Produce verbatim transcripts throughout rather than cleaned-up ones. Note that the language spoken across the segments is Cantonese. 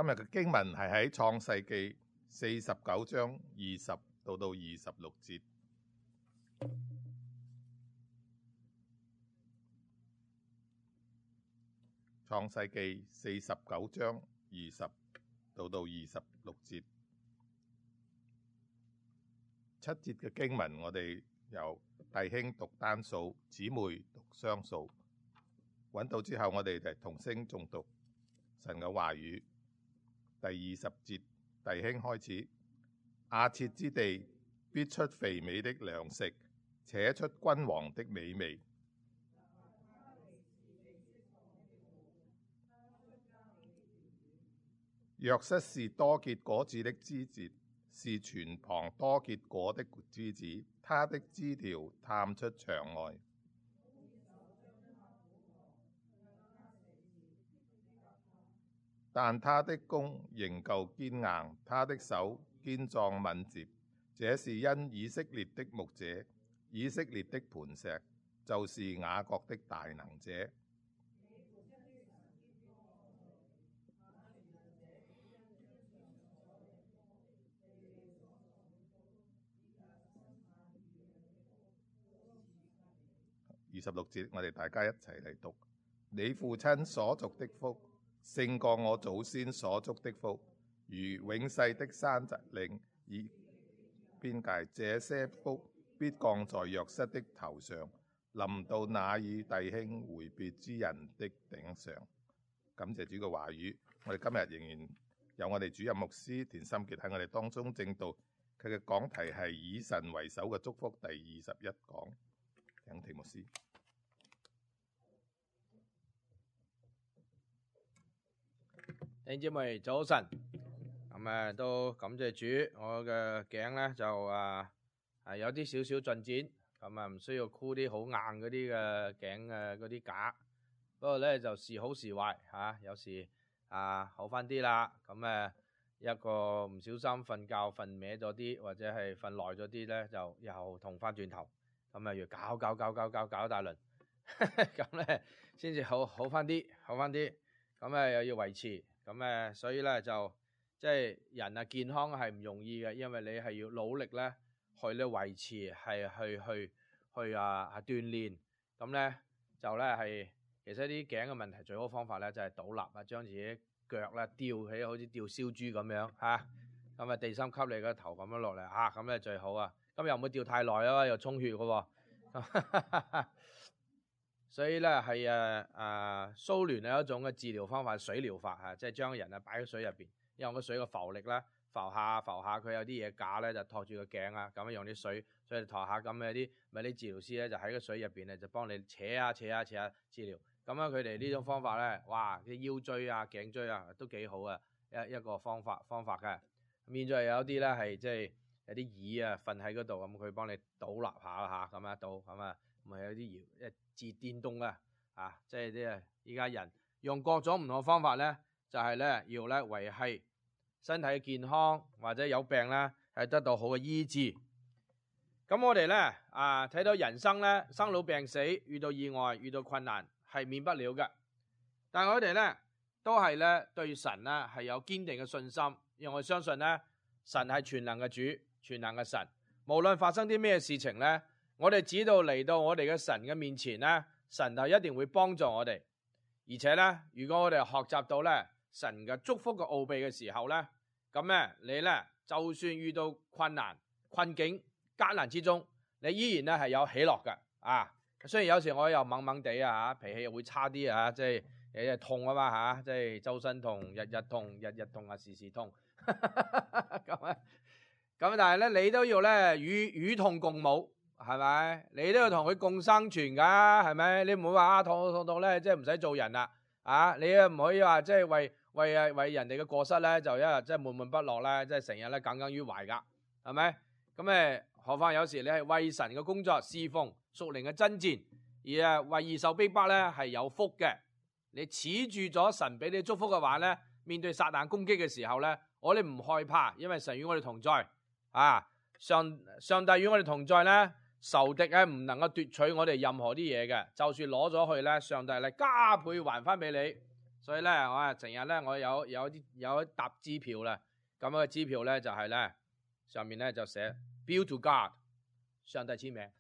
今日嘅經文係喺創世記四十九章二十到到二十六節。創世記四十九章二十到到二十六節。七節嘅經文，我哋由弟兄讀單數，姊妹讀雙數。揾到之後，我哋就同聲誦讀神嘅話語。第二十節，弟兄開始。亞設之地必出肥美的糧食，且出君王的美味。約瑟是多結果子的枝節，是泉旁多結果的枝子，他的枝條探出牆外。但他的弓仍舊堅硬，他的手堅壯敏捷。這是因以色列的牧者，以色列的磐石，就是雅各的大能者。二十六節，我哋大家一齊嚟讀。你父親所祝的福，勝過我祖先所祝的福，如永世的山澤嶺以邊界。這些福必降在約瑟的頭上，臨到那與弟兄會別之人的頂上。感謝主嘅話語，我哋今日仍然有我哋主任牧師田心傑喺我哋當中證道，佢嘅講題係以神為首嘅祝福第二十一講。請田牧師。弟兄姊妹早晨，咁啊都感謝主，我嘅頸咧就啊係有啲少少進展，咁啊唔需要箍啲好硬嗰啲嘅頸嘅嗰啲架，不過咧就時好時壞吓、啊，有時啊好翻啲啦，咁啊一個唔小心瞓覺瞓歪咗啲，或者係瞓耐咗啲咧，就又痛翻轉頭，咁啊要搞搞搞搞搞搞一大輪，咁咧先至好好翻啲，好翻啲，咁啊又要維持。咁誒，所以咧就即係人啊健康係唔容易嘅，因為你係要努力咧去咧維持，係去去去啊啊鍛鍊。咁咧就咧係其實啲頸嘅問題最好方法咧就係倒立啊，將自己腳咧吊起，好似吊燒豬咁樣嚇。咁啊地心吸你個頭咁樣落嚟嚇，咁咧最好啊。咁又唔會吊太耐啊，又充血嘅喎。所以咧係誒誒蘇聯係一種嘅治療方法，水療法嚇，即係將人啊擺喺水入邊，因為個水嘅浮力咧浮下浮下，佢有啲嘢架咧就托住個頸啊，咁樣用啲水所以托下，咁有啲咪啲治療師咧就喺個水入邊咧就幫你扯下扯下扯下治療。咁樣佢哋呢種方法咧，哇啲腰椎啊頸椎啊都幾好啊，一一個方法方法嘅。咁現在有啲咧係即係有啲椅啊瞓喺嗰度，咁佢幫你倒立下下咁啊倒咁啊。咪有啲搖一自電動啊，啊，即係啲啊！依家人用各種唔同嘅方法咧，就係、是、咧要咧維繫身體嘅健康，或者有病咧係得到好嘅醫治。咁我哋咧啊睇到人生咧生老病死，遇到意外，遇到困難係免不了嘅。但係我哋咧都係咧對神咧係有堅定嘅信心，因為我相信咧神係全能嘅主，全能嘅神，無論發生啲咩事情咧。我哋知道嚟到我哋嘅神嘅面前咧，神就一定會幫助我哋。而且咧，如果我哋學習到咧神嘅祝福嘅奧秘嘅時候咧，咁咧你咧就算遇到困難、困境、艱難之中，你依然咧係有喜樂嘅啊。雖然有時我又猛猛地啊，脾氣又會差啲啊，即係日日痛啊嘛吓，即係周身痛、日日痛、日日痛啊，時時痛。咁啊，咁但係咧，你都要咧與與痛共舞。係咪？你都要同佢共生存噶，係咪？你唔會話啊痛痛痛咧，即係唔使做人啦，啊！你又唔可以話即係為為啊為人哋嘅過失咧，就一日即係悶悶不樂咧，即係成日咧耿耿於懷噶，係咪？咁誒，何況有時你係為神嘅工作侍奉屬靈嘅爭戰，而啊為義受逼迫咧係有福嘅。你恃住咗神俾你祝福嘅話咧，面對撒旦攻擊嘅時候咧，我哋唔害怕，因為神與我哋同在啊！上上帝與我哋同在咧。仇敵咧唔能夠奪取我哋任何啲嘢嘅，就算攞咗去咧，上帝咧加倍還翻俾你。所以咧我啊成日咧我有有啲有一沓支票啦，咁嘅支票咧就係咧上面咧就寫 Bill to God， 上帝簽名，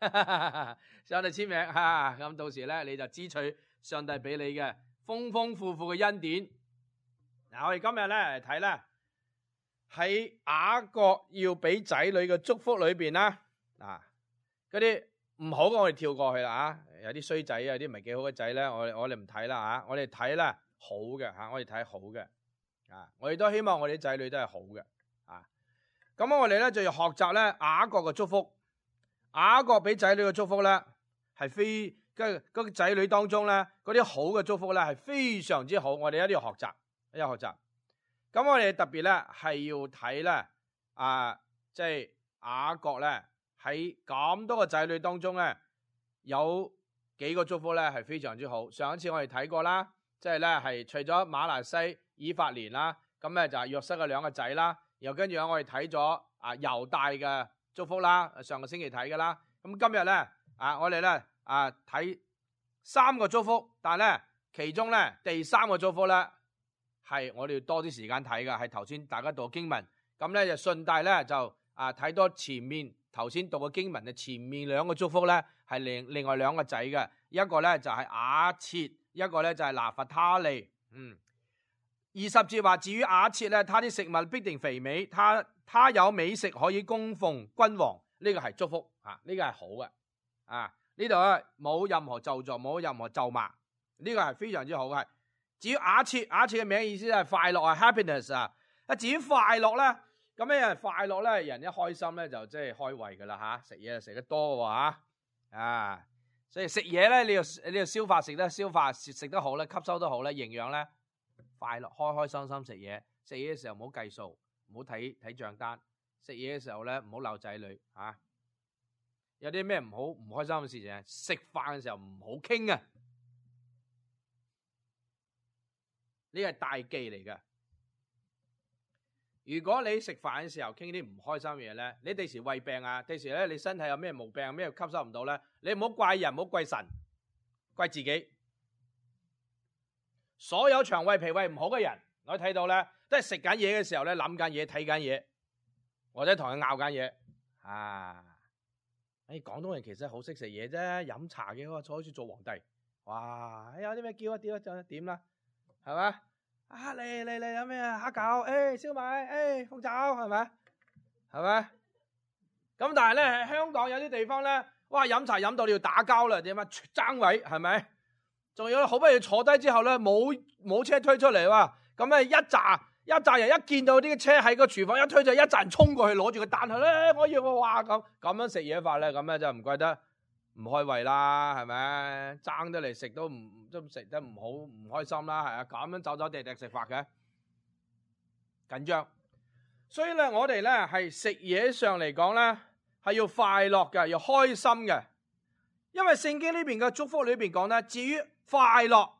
上帝簽名嚇，咁到時咧你就支取上帝俾你嘅豐豐富富嘅恩典。嗱，我哋今日咧嚟睇咧喺雅各要俾仔女嘅祝福裏邊啦，嗱嗰啲唔好嘅我哋跳過去啦嚇，有啲衰仔啊，有啲唔係幾好嘅仔咧，我我哋唔睇啦嚇，我哋睇咧好嘅嚇，我哋睇好嘅啊，我哋都希望我哋啲仔女都係好嘅啊。咁我哋咧就要學習咧雅各嘅祝福，雅各俾仔女嘅祝福咧係非跟嗰個仔女當中咧嗰啲好嘅祝福咧係非常之好，我哋一定要學習，一定要學習。咁我哋特別咧係要睇咧啊，即係雅各咧喺咁多個仔女當中咧有幾個祝福咧係非常之好。上一次我哋睇過啦，即係咧係除咗馬拿西、以法蓮啦，咁咧就係約瑟嘅兩個仔啦。然後跟住咧我哋睇咗啊猶大嘅祝福啦，上個星期睇㗎啦。咁今日咧啊我哋咧啊睇三個祝福，但係咧其中咧第三個祝福咧係我哋要多啲時間睇㗎，係頭先大家讀經文，咁咧就順帶咧就啊睇多前面頭先讀嘅經文嘅前面兩個祝福咧係另另外兩個仔嘅，一個咧就係雅切，一個咧就係拿弗他利。嗯，二十節話至於雅切咧，他啲食物必定肥美，他他有美食可以供奉君王，呢、這個係祝福啊，呢、這個係好嘅啊，呢度咧冇任何咒詛，冇任何咒罵，呢、這個係非常之好嘅。至於雅切，雅切嘅名意思係快樂啊 ，happiness 啊。啊，至於快樂咧，咁咧快樂咧，人一開心咧就即係開胃噶啦吓，食嘢食得多喎吓，啊，所以食嘢咧你要你要消化食得消化食食得好咧，吸收得好咧，營養咧，快樂開開心心食嘢，食嘢嘅時候唔好計數，唔好睇睇賬單，食嘢嘅時候咧唔好鬧仔女吓，有啲咩唔好唔開心嘅事情啊，食飯嘅時候唔好傾啊。呢個係大忌嚟㗎。如果你食飯嘅時候傾啲唔開心嘅嘢咧，你第時胃病啊，第時咧你身體有咩毛病，咩吸收唔到咧，你唔好怪人，唔好怪神，怪自己。所有腸胃脾胃唔好嘅人，我睇到咧，都係食緊嘢嘅時候咧諗緊嘢、睇緊嘢，或者同佢拗緊嘢。啊，誒廣東人其實好識食嘢啫，飲茶嘅喎，坐好似做皇帝。哇，有啲咩叫一叫一點啦。係嘛？啊嚟嚟嚟有咩啊？蝦餃，誒燒賣，誒鳳爪，係咪？係咪？咁但係咧喺香港有啲地方咧，哇飲茶飲到你要打交啦，點啊？爭位係咪？仲有好不容易坐低之後咧，冇冇車推出嚟喎，咁咧一紮一紮人一見到啲車喺個廚房一推就一紮人衝過去攞住個單去咧，我要我話咁咁樣食嘢法咧，咁咧就唔怪得唔開胃啦，係咪？爭得嚟食都唔都食得唔好，唔開心啦，係啊，咁樣走走趯趯食法嘅緊張。所以咧，我哋咧係食嘢上嚟講咧，係要快樂嘅，要開心嘅。因為聖經呢邊嘅祝福裏邊講咧，至於快樂，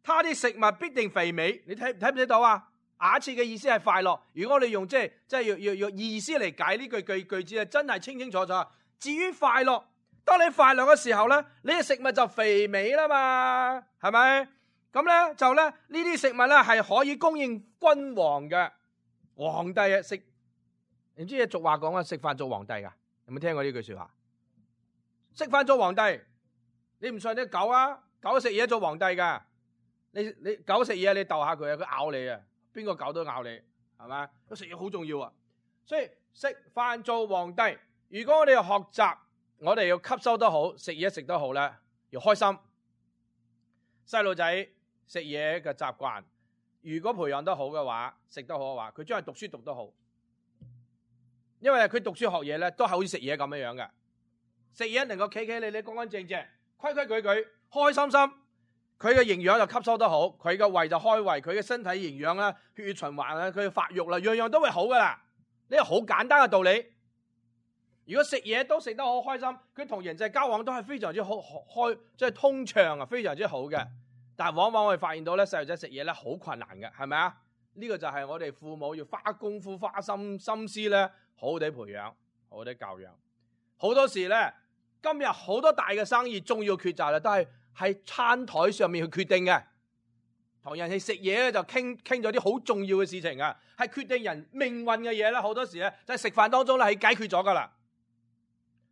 他啲食物必定肥美。你睇睇唔睇到啊？雅切嘅意思係快樂。如果我哋用即係即係要要要意思嚟解呢句句句子啊，真係清清楚楚。至於快樂。當你快樂嘅時候咧，你嘅食物就肥美啦嘛，係咪？咁咧就咧呢啲食物咧係可以供應君王嘅皇帝啊食，唔知嘢俗話講啊，食飯做皇帝噶，有冇聽過呢句說話？食飯做皇帝，你唔信啲狗啊？狗食嘢做皇帝噶，你你狗食嘢你逗下佢啊，佢咬你啊，邊個狗都咬你，係咪？咁食嘢好重要啊，所以食飯做皇帝。如果我哋要學習。我哋要吸收得好，食嘢食得好咧，要開心。細路仔食嘢嘅習慣，如果培養得好嘅話，食得好嘅話，佢將來讀書讀得好。因為佢讀書學嘢咧，都係好似食嘢咁樣樣嘅。食嘢能夠企企理理、乾乾淨淨、規規矩矩、開心心，佢嘅營養就吸收得好，佢嘅胃就開胃，佢嘅身體營養啦、血液循環啦、佢嘅發育啦，樣樣都會好噶啦。呢個好簡單嘅道理。如果食嘢都食得好開心，佢同人際交往都係非常之好開，即係通暢啊，非常之好嘅。但係往往我哋發現到咧，細路仔食嘢咧好困難嘅，係咪啊？呢個就係我哋父母要花功夫、花心心思咧，好好地培養，好好地教養。好多時咧，今日好多大嘅生意、重要抉擇咧，都係喺餐台上面去決定嘅。同人哋食嘢咧就傾傾咗啲好重要嘅事情啊，係決定人命運嘅嘢咧，好多時咧就係食飯當中咧係解決咗噶啦。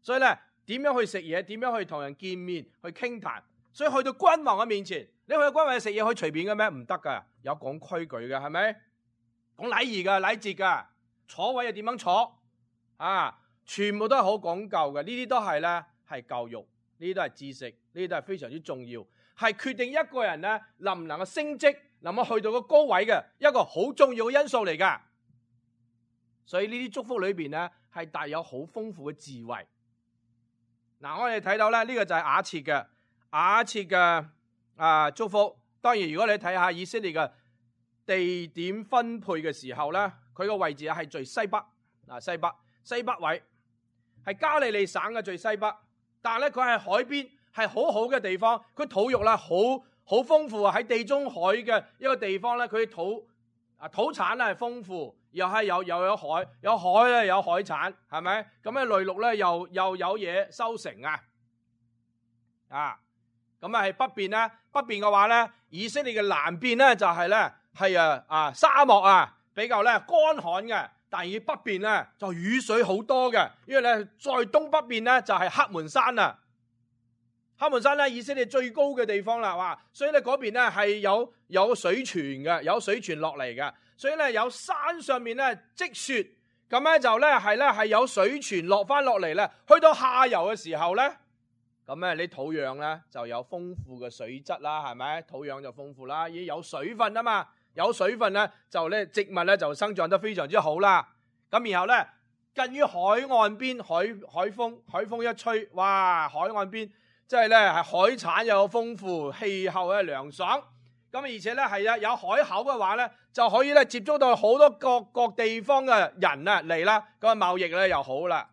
所以咧點樣去食嘢，點樣去同人見面去傾談，所以去到君王嘅面前，你去到君王食嘢可以隨便嘅咩？唔得噶，有講規矩嘅，係咪？講禮儀噶、禮節噶，坐位又點樣坐啊？全部都係好講究嘅，呢啲都係咧係教育，呢啲都係知識，呢啲都係非常之重要，係決定一個人咧能唔能夠升職，能夠去到個高位嘅一個好重要嘅因素嚟噶。所以呢啲祝福裏邊咧係帶有好豐富嘅智慧。嗱，我哋睇到咧呢個就係雅設嘅雅設嘅啊祝福。當然，如果你睇下以色列嘅地點分配嘅時候咧，佢個位置係最西北，嗱西北西北位。係加利利省嘅最西北，但係咧佢係海邊，係好好嘅地方。佢土肉咧好好豐富啊！喺地中海嘅一個地方咧，佢土啊土產咧係豐富，又係有又有海，有海咧有海產，係咪？咁咧內陸咧又又有嘢收成啊！啊，咁啊係北邊咧，北邊嘅話咧，以色列嘅南邊咧就係咧係啊啊沙漠啊，比較咧乾旱嘅。但係北邊咧就雨水好多嘅，因為咧在東北邊咧就係黑門山啊，黑門山咧以色列最高嘅地方啦，哇！所以咧嗰邊咧係有有水泉嘅，有水泉落嚟嘅，所以咧有山上面咧積雪，咁咧就咧係咧係有水泉落翻落嚟咧，去到下游嘅時候咧，咁咧你土壤咧就有豐富嘅水質啦，係咪？土壤就豐富啦，已經有水分啊嘛。有水分咧，就咧植物咧就生長得非常之好啦。咁然後咧，近於海岸邊，海海風海風一吹，哇！海岸邊即係咧係海產又有豐富，氣候咧涼爽。咁而且咧係啊有海口嘅話咧，就可以咧接觸到好多各各地方嘅人啊嚟啦。咁啊貿易咧又好啦。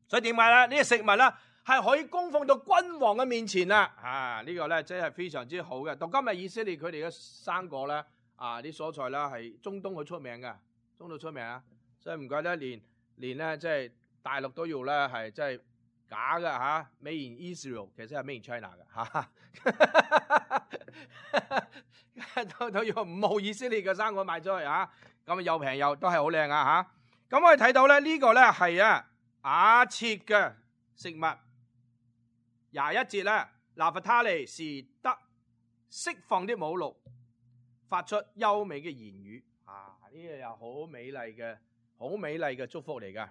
所以點解咧？呢個食物咧係可以供奉到君王嘅面前啦，啊！呢個咧真係非常之好嘅。到今日以色列佢哋嘅生果咧，啊啲蔬菜啦係中東好出名嘅，中東出名啊！所以唔怪得連連咧即係大陸都要咧係即係假嘅嚇 ，Made in Israel 其實係 Made in China 嘅嚇，都都要五號以色列嘅生果賣出去嚇，咁又平又都係好靚啊嚇！咁我哋睇到咧呢個咧係啊雅設嘅食物。廿一節咧，拿弗他利是得釋放的母鹿，發出優美嘅言語。啊，呢個又好美麗嘅，好美麗嘅祝福嚟噶。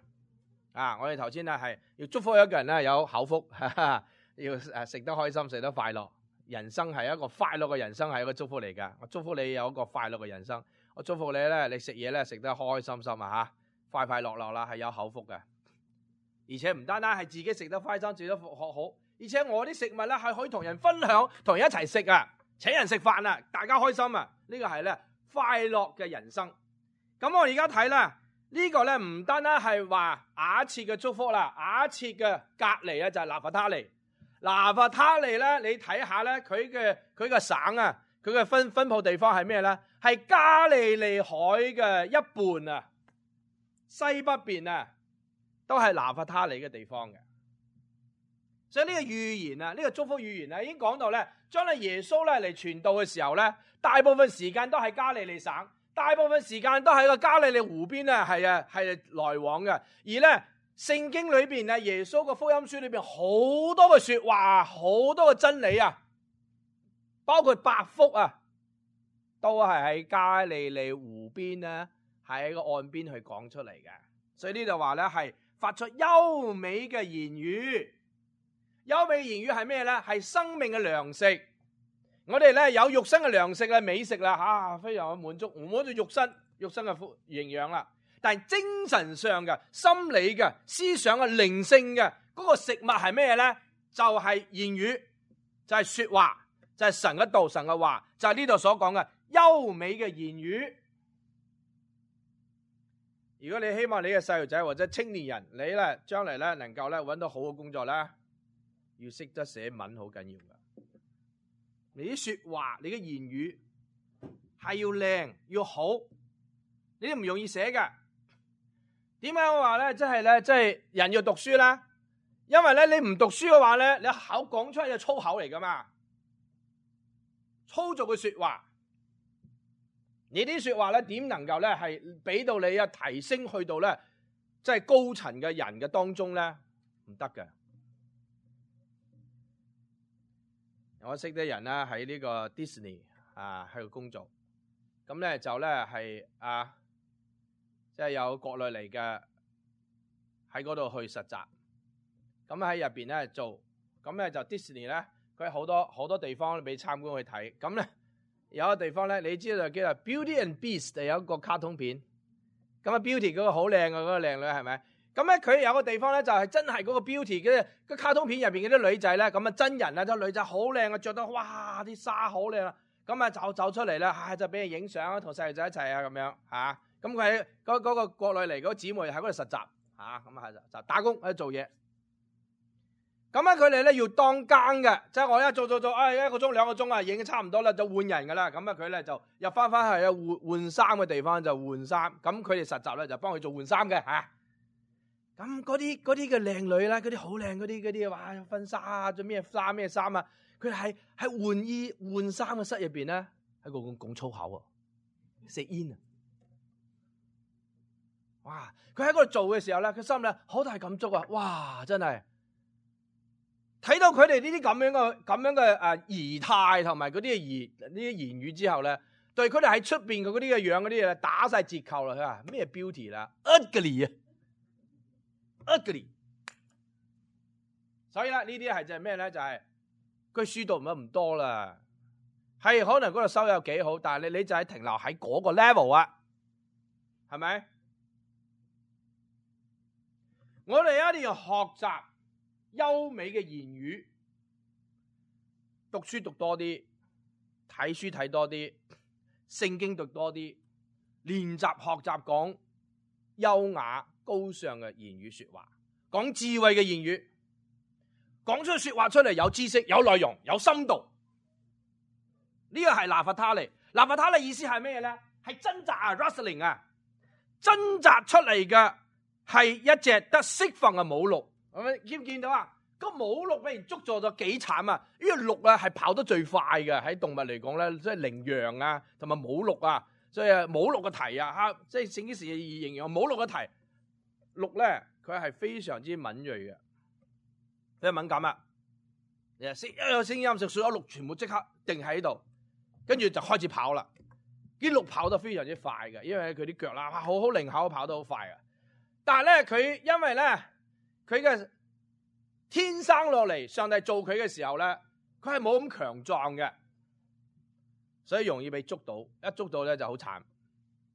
啊，我哋頭先咧係要祝福一個人咧有口福，哈哈要誒食得開心，食得快樂。人生係一個快樂嘅人生，係一個祝福嚟噶。我祝福你有一個快樂嘅人生。我祝福你咧，你食嘢咧食得開開心心啊吓，快快樂樂啦，係有口福嘅。而且唔單單係自己食得開心，食得學好。而且我啲食物咧係可以同人分享，同人一齊食啊，請人食飯啊，大家開心啊，呢個係咧快樂嘅人生。咁我而家睇啦，呢個咧唔單單係話雅設嘅祝福啦，雅設嘅隔離啊就係拿弗他利。拿弗他利咧，你睇下咧，佢嘅佢嘅省啊，佢嘅分分佈地方係咩咧？係加利利海嘅一半啊，西北邊啊，都係拿弗他利嘅地方嘅。所以呢個預言啊，呢個祝福預言啊，已經講到咧，將來耶穌咧嚟傳道嘅時候咧，大部分時間都係加利利省，大部分時間都喺個加利利湖邊咧，係啊係來往嘅。而咧聖經裏邊啊，耶穌個福音書裏邊好多嘅說話，好多嘅真理啊，包括八福啊，都係喺加利利湖邊咧，喺個岸邊去講出嚟嘅。所以呢度話咧係發出優美嘅言語。優美言語係咩咧？係生命嘅糧食。我哋咧有肉身嘅糧食啦、美食啦，吓、啊、非常嘅滿足，滿足肉身、肉身嘅營養啦。但係精神上嘅、心理嘅、思想嘅、靈性嘅嗰個食物係咩咧？就係言語，就係說話，就係神嘅道、神嘅話，就係呢度所講嘅優美嘅言語。如果你希望你嘅細路仔或者青年人，你咧將來咧能夠咧搵到好嘅工作咧，要識得寫文好緊要噶，你啲說話，你嘅言語係要靚要好，你都唔容易寫噶。點解我話咧？即係咧，即係人要讀書啦。因為咧，你唔讀書嘅話咧，你口講出嚟就粗口嚟噶嘛，粗俗嘅說話，你啲說話咧點能夠咧係俾到你啊提升去到咧即係高層嘅人嘅當中咧？唔得嘅。我識啲人咧喺呢個 Disney 啊喺度工作，咁咧就咧係啊即係有國內嚟嘅喺嗰度去實習，咁喺入邊咧做，咁咧就 Disney 咧佢好多好多地方俾參觀去睇，咁咧有一個地方咧你知道就叫做 Beauty and Beast 有一個卡通片，咁啊 Beauty 嗰個好靚嘅嗰個靚女係咪？咁咧佢有個地方咧就係真係嗰個 Beauty 嘅個卡通片入邊嗰啲女仔咧，咁啊真人啊，啲女仔好靚啊，着得哇啲紗好靚啊，咁啊走走出嚟啦，唉就俾人影相啊，同細路仔一齊啊咁樣嚇，咁佢喺嗰嗰個國內嚟嗰個姊妹喺嗰度實習嚇，咁啊就打工喺度做嘢，咁咧佢哋咧要當更嘅，即係我一做做做，唉一個鐘兩個鐘啊，已經差唔多啦，就換人噶啦，咁啊佢咧就入翻翻去啊換換衫嘅地方就換衫，咁佢哋實習咧就幫佢做換衫嘅嚇。咁嗰啲嗰啲嘅靚女咧，嗰啲好靚嗰啲嗰啲，哇婚紗啊，做咩衫咩衫啊？佢係喺換衣換衫嘅室入邊咧，喺度講粗口啊，食煙啊！哇！佢喺嗰度做嘅時候咧，佢心裏好大感觸啊！哇！真係睇到佢哋呢啲咁樣嘅咁樣嘅誒儀態同埋嗰啲嘅言呢啲言語之後咧，對佢哋喺出邊嘅嗰啲嘅樣嗰啲嘢打晒折扣啦！佢話咩 beauty 啦 ，ugly 啊！ugly， 所以咧呢啲係就係咩咧？就係佢書讀唔得唔多啦，係可能嗰度收入幾好，但係你你就係停留喺嗰個 level 啊，係咪？我哋一定要學習優美嘅言語，讀書讀多啲，睇書睇多啲，聖經讀多啲，練習學習講優雅高尚嘅言語說話，講智慧嘅言語，講出說話出嚟有知識、有內容、有深度。呢個係拿弗他利。拿弗他利意思係咩咧？係掙扎啊 ，wrestling 啊，掙扎出嚟嘅係一隻得釋放嘅母鹿。係咪見唔見到啊？個母鹿俾人捉咗咗幾慘啊！呢個鹿啊係跑得最快嘅，喺動物嚟講咧，即係羚羊啊同埋母鹿啊，所以啊母鹿嘅蹄啊吓，即係聖經時形容母鹿嘅蹄。鹿咧，佢係非常之敏銳嘅，佢敏感啊！一有聲音就所有鹿全部即刻定喺度，跟住就開始跑啦。啲鹿跑得非常之快嘅，因為佢啲腳啦，好好靈巧，跑得好快嘅。但係咧，佢因為咧，佢嘅天生落嚟，上帝做佢嘅時候咧，佢係冇咁強壯嘅，所以容易被捉到。一捉到咧就好慘，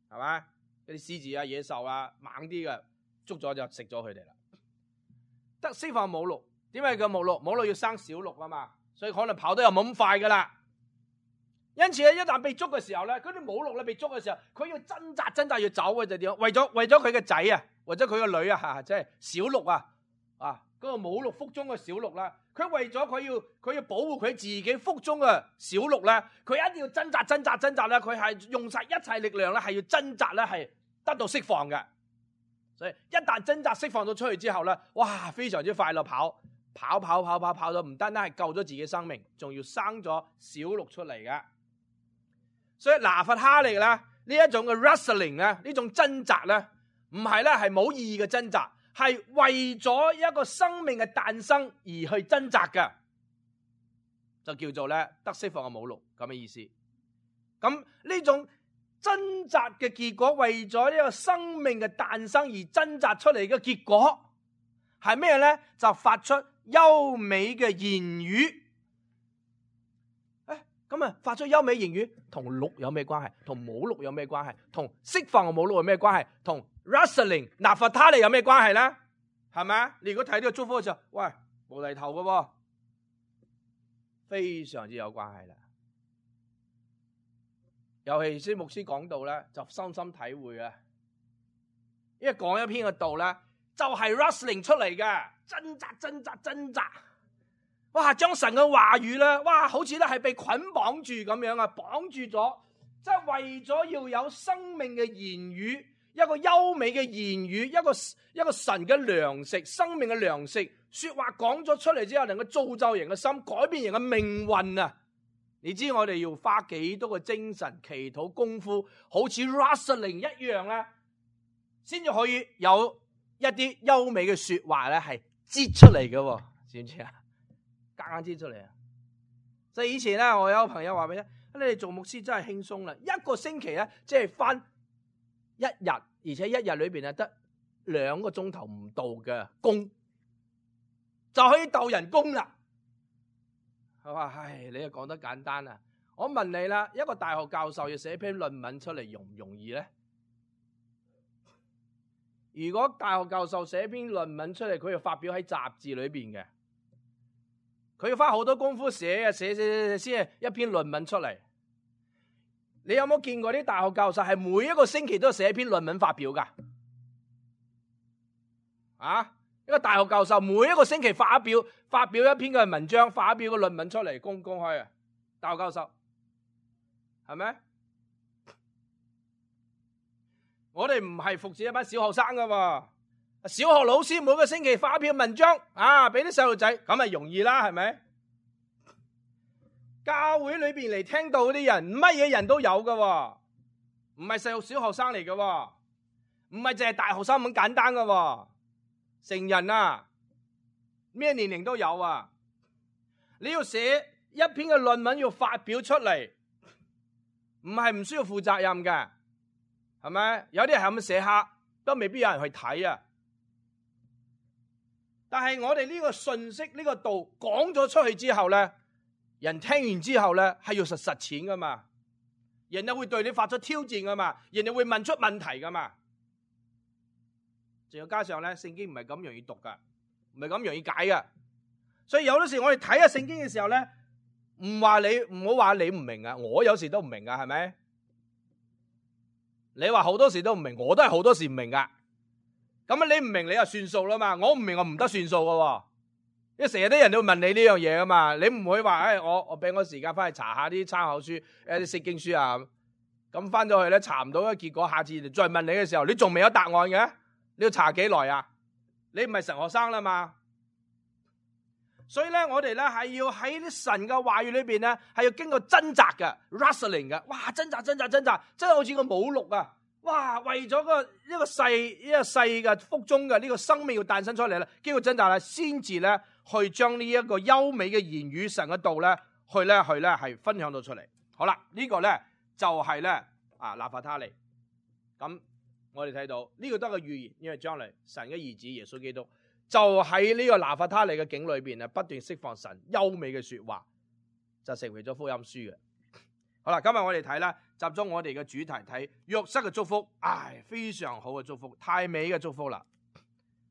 係咪？嗰啲獅子啊、野獸啊，猛啲嘅。捉咗就食咗佢哋啦。得釋放母鹿，點解叫母鹿？母鹿要生小鹿啊嘛，所以可能跑得又冇咁快噶啦。因此咧，一旦被捉嘅時候咧，嗰啲母鹿咧被捉嘅時候，佢要掙扎掙扎要走嘅就點？為咗為咗佢嘅仔啊，或者佢個女啊，即係小鹿啊，啊嗰個母鹿腹中嘅小鹿啦，佢為咗佢要佢要保護佢自己腹中嘅小鹿咧，佢一定要掙扎掙扎掙扎咧，佢係用晒一切力量咧，係要掙扎咧，係得到釋放嘅。所以一旦掙扎釋放咗出去之後咧，哇，非常之快樂，跑跑跑跑跑跑到唔單單係救咗自己生命，仲要生咗小鹿出嚟嘅。所以拿弗他利咧呢一種嘅 wrestling 咧，呢種掙扎咧，唔係咧係冇意義嘅掙扎，係為咗一個生命嘅誕生而去掙扎嘅，就叫做咧得釋放嘅母鹿咁嘅意思。咁呢種掙扎嘅結果，為咗呢個生命嘅誕生而掙扎出嚟嘅結果係咩咧？就發出優美嘅言語。誒，咁啊，發出優美言語同鹿有咩關係？同母鹿有咩關係？同釋放嘅母鹿有咩關係？同 wrestling 拿弗他利有咩關係咧？係咪啊？你如果睇呢個祝福嘅時候，喂，無厘頭嘅喎，非常之有關係啦。尤其是牧師講道咧，就深深體會啊！因為講一篇嘅道咧，就係 wrestling 出嚟嘅，掙扎、掙扎、掙扎。哇！將神嘅話語咧，哇，好似咧係被捆綁住咁樣啊，綁住咗，即係為咗要有生命嘅言語，一個優美嘅言語，一個一個神嘅糧食，生命嘅糧食，說話講咗出嚟之後，能夠造就人嘅心，改變人嘅命運啊！你知我哋要花幾多個精神、祈禱功夫，好似 Rustling 一樣咧，先至可以有一啲優美嘅說話咧，係擠出嚟嘅，知唔知啊？夾硬擠出嚟啊！所以以前咧，我有個朋友話俾你聽，你哋做牧師真係輕鬆啦，一個星期咧，即係翻一日，而且一日裏邊係得兩個鐘頭唔到嘅工，就可以鬥人工啦。佢話：唉，你又講得簡單啊！我問你啦，一個大學教授要寫篇論文出嚟，容唔容易咧？如果大學教授寫篇論文出嚟，佢要發表喺雜誌裏邊嘅，佢要花好多功夫寫啊，寫寫寫先係一篇論文出嚟。你有冇見過啲大學教授係每一個星期都寫一篇論文發表噶？啊！一個大學教授每一個星期發表發表一篇嘅文章，發表個論文出嚟公公開啊！大學教授係咪？我哋唔係服侍一班小學生噶喎，小學老師每個星期發一篇文章啊，俾啲細路仔，咁咪容易啦，係咪？教會裏邊嚟聽到嗰啲人，乜嘢人都有噶喎，唔係細路小學生嚟噶喎，唔係淨係大學生咁簡單噶喎。成人啊，咩年齡都有啊！你要寫一篇嘅論文要發表出嚟，唔係唔需要負責任嘅，係咪？有啲人係咁寫下，都未必有人去睇啊！但係我哋呢個信息呢個道講咗出去之後咧，人聽完之後咧係要實實踐噶嘛，人哋會對你發出挑戰噶嘛，人哋會問出問題噶嘛。仲要加上咧，聖經唔係咁容易讀噶，唔係咁容易解噶，所以有啲時我哋睇下聖經嘅時候咧，唔話你唔好話你唔明啊，我有時都唔明噶，係咪？你話好多時都唔明，我都係好多時唔明噶。咁啊，你唔明你就算數啦嘛，我唔明我唔得算數噶，因為成日啲人都會問你呢樣嘢噶嘛，你唔會話誒，我我俾我時間翻去查下啲參考書，誒啲釋經書啊，咁翻咗去咧查唔到嘅結果，下次再問你嘅時候，你仲未有答案嘅？你要查幾耐啊？你唔係神學生啦嘛，所以咧，我哋咧係要喺啲神嘅話語裏邊咧，係要經過掙扎嘅 ，wrestling 嘅，哇，掙扎掙扎掙扎，真係好似個母鹿啊！哇，為咗個一個細一個細嘅腹中嘅呢個生命要誕生出嚟咧，經過掙扎咧，先至咧去將呢一個優美嘅言語神嘅道咧，去咧去咧係分享到出嚟。好啦，這個、呢個咧就係、是、咧啊拿弗他利咁。我哋睇到呢、這個都係個預言，因為將來神嘅兒子耶穌基督就喺呢個拿弗他利嘅境裏邊啊，不斷釋放神優美嘅說話，就成為咗福音書嘅。好啦，今日我哋睇啦，集中我哋嘅主題睇約瑟嘅祝福，唉，非常好嘅祝福，太美嘅祝福啦，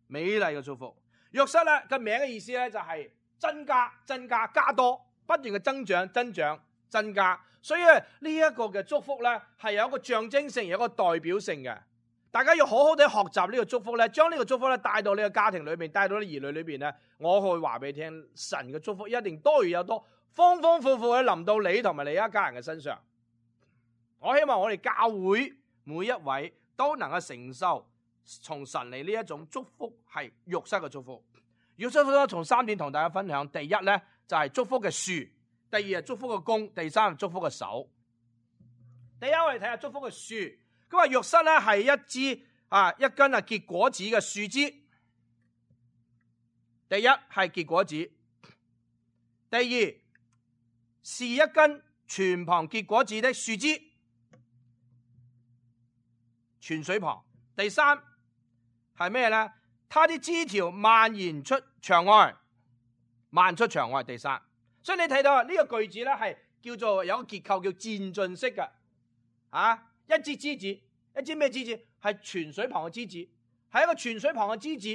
美麗嘅祝福。約瑟咧個名嘅意思咧就係增加、增加、加多，不斷嘅增長、增長、增加。所以呢一個嘅祝福咧係有一個象徵性，有一個代表性嘅。大家要好好地學習呢個祝福咧，將呢個祝福咧帶到呢個家庭裏邊，帶到啲兒女裏邊咧。我可以話俾你聽，神嘅祝福一定多如有多，豐豐富富嘅臨到你同埋你一家人嘅身上。我希望我哋教會每一位都能夠承受從神嚟呢一種祝福，係約瑟嘅祝福。約瑟咧從三點同大家分享，第一咧就係祝福嘅樹，第二係祝福嘅弓，第三係祝福嘅手。第一我哋睇下祝福嘅樹。咁啊，約瑟咧係一支啊一根啊結果子嘅樹枝。第一係結果子，第二是一根泉旁結果子的樹枝，泉水旁。第三係咩咧？它啲枝條蔓延出牆外，蔓出牆外。第三，所以你睇到啊，呢個句子咧係叫做有個結構叫漸進式嘅啊。一支枝子，一支咩枝子？係泉水旁嘅枝子，係一個泉水旁嘅枝子，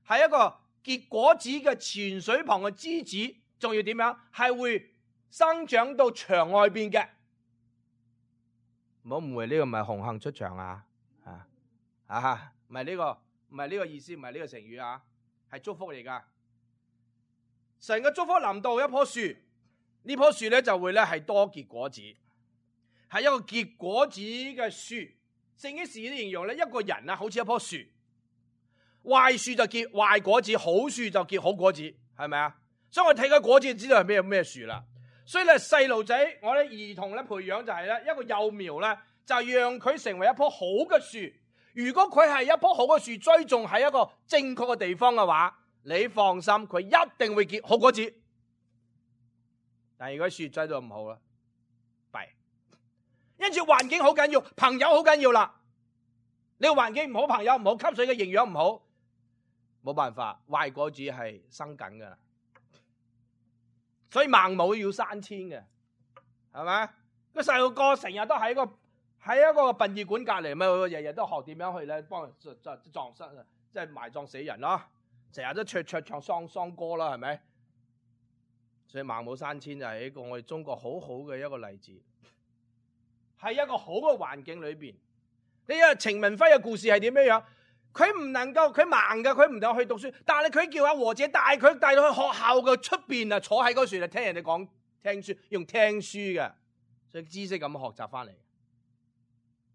係一個結果子嘅泉水旁嘅枝子，仲要點樣？係會生長到牆外邊嘅。唔好誤會，呢個唔係紅杏出牆啊！啊啊，唔係呢個，唔係呢個意思，唔係呢個成語啊，係祝福嚟噶。神嘅祝福臨到一棵樹，呢棵樹咧就會咧係多結果子。係一個結果子嘅樹，聖經時啲形容咧，一個人啊，好似一棵樹，壞樹就結壞果子，好樹就結好果子，係咪啊？所以我睇個果子就知道係咩咩樹啦。所以咧，細路仔，我哋兒童咧培養就係咧一個幼苗咧，就讓佢成為一棵好嘅樹。如果佢係一棵好嘅樹，栽種喺一個正確嘅地方嘅話，你放心，佢一定會結好果子。但係如果樹栽到唔好啦，弊。因此環境好緊要，朋友好緊要啦。你個環境唔好，朋友唔好，吸水嘅營養唔好，冇辦法，壞果子係生緊噶啦。所以孟母要三遷嘅，係咪？個細路哥成日都喺個喺一個殯儀館隔籬，咪日日都學點樣去咧幫人葬身，即係埋葬死人咯。成日都唱唱唱喪喪歌啦，係咪？所以孟母三遷就係一個我哋中國好好嘅一個例子，喺一個好嘅環境裏邊。你睇程文輝嘅故事係點樣樣？佢唔能夠，佢盲噶，佢唔能夠去讀書，但係佢叫阿和姐帶佢帶到去學校嘅出邊啊，坐喺嗰處就聽人哋講聽書，用聽書嘅，所以知識咁學習翻嚟。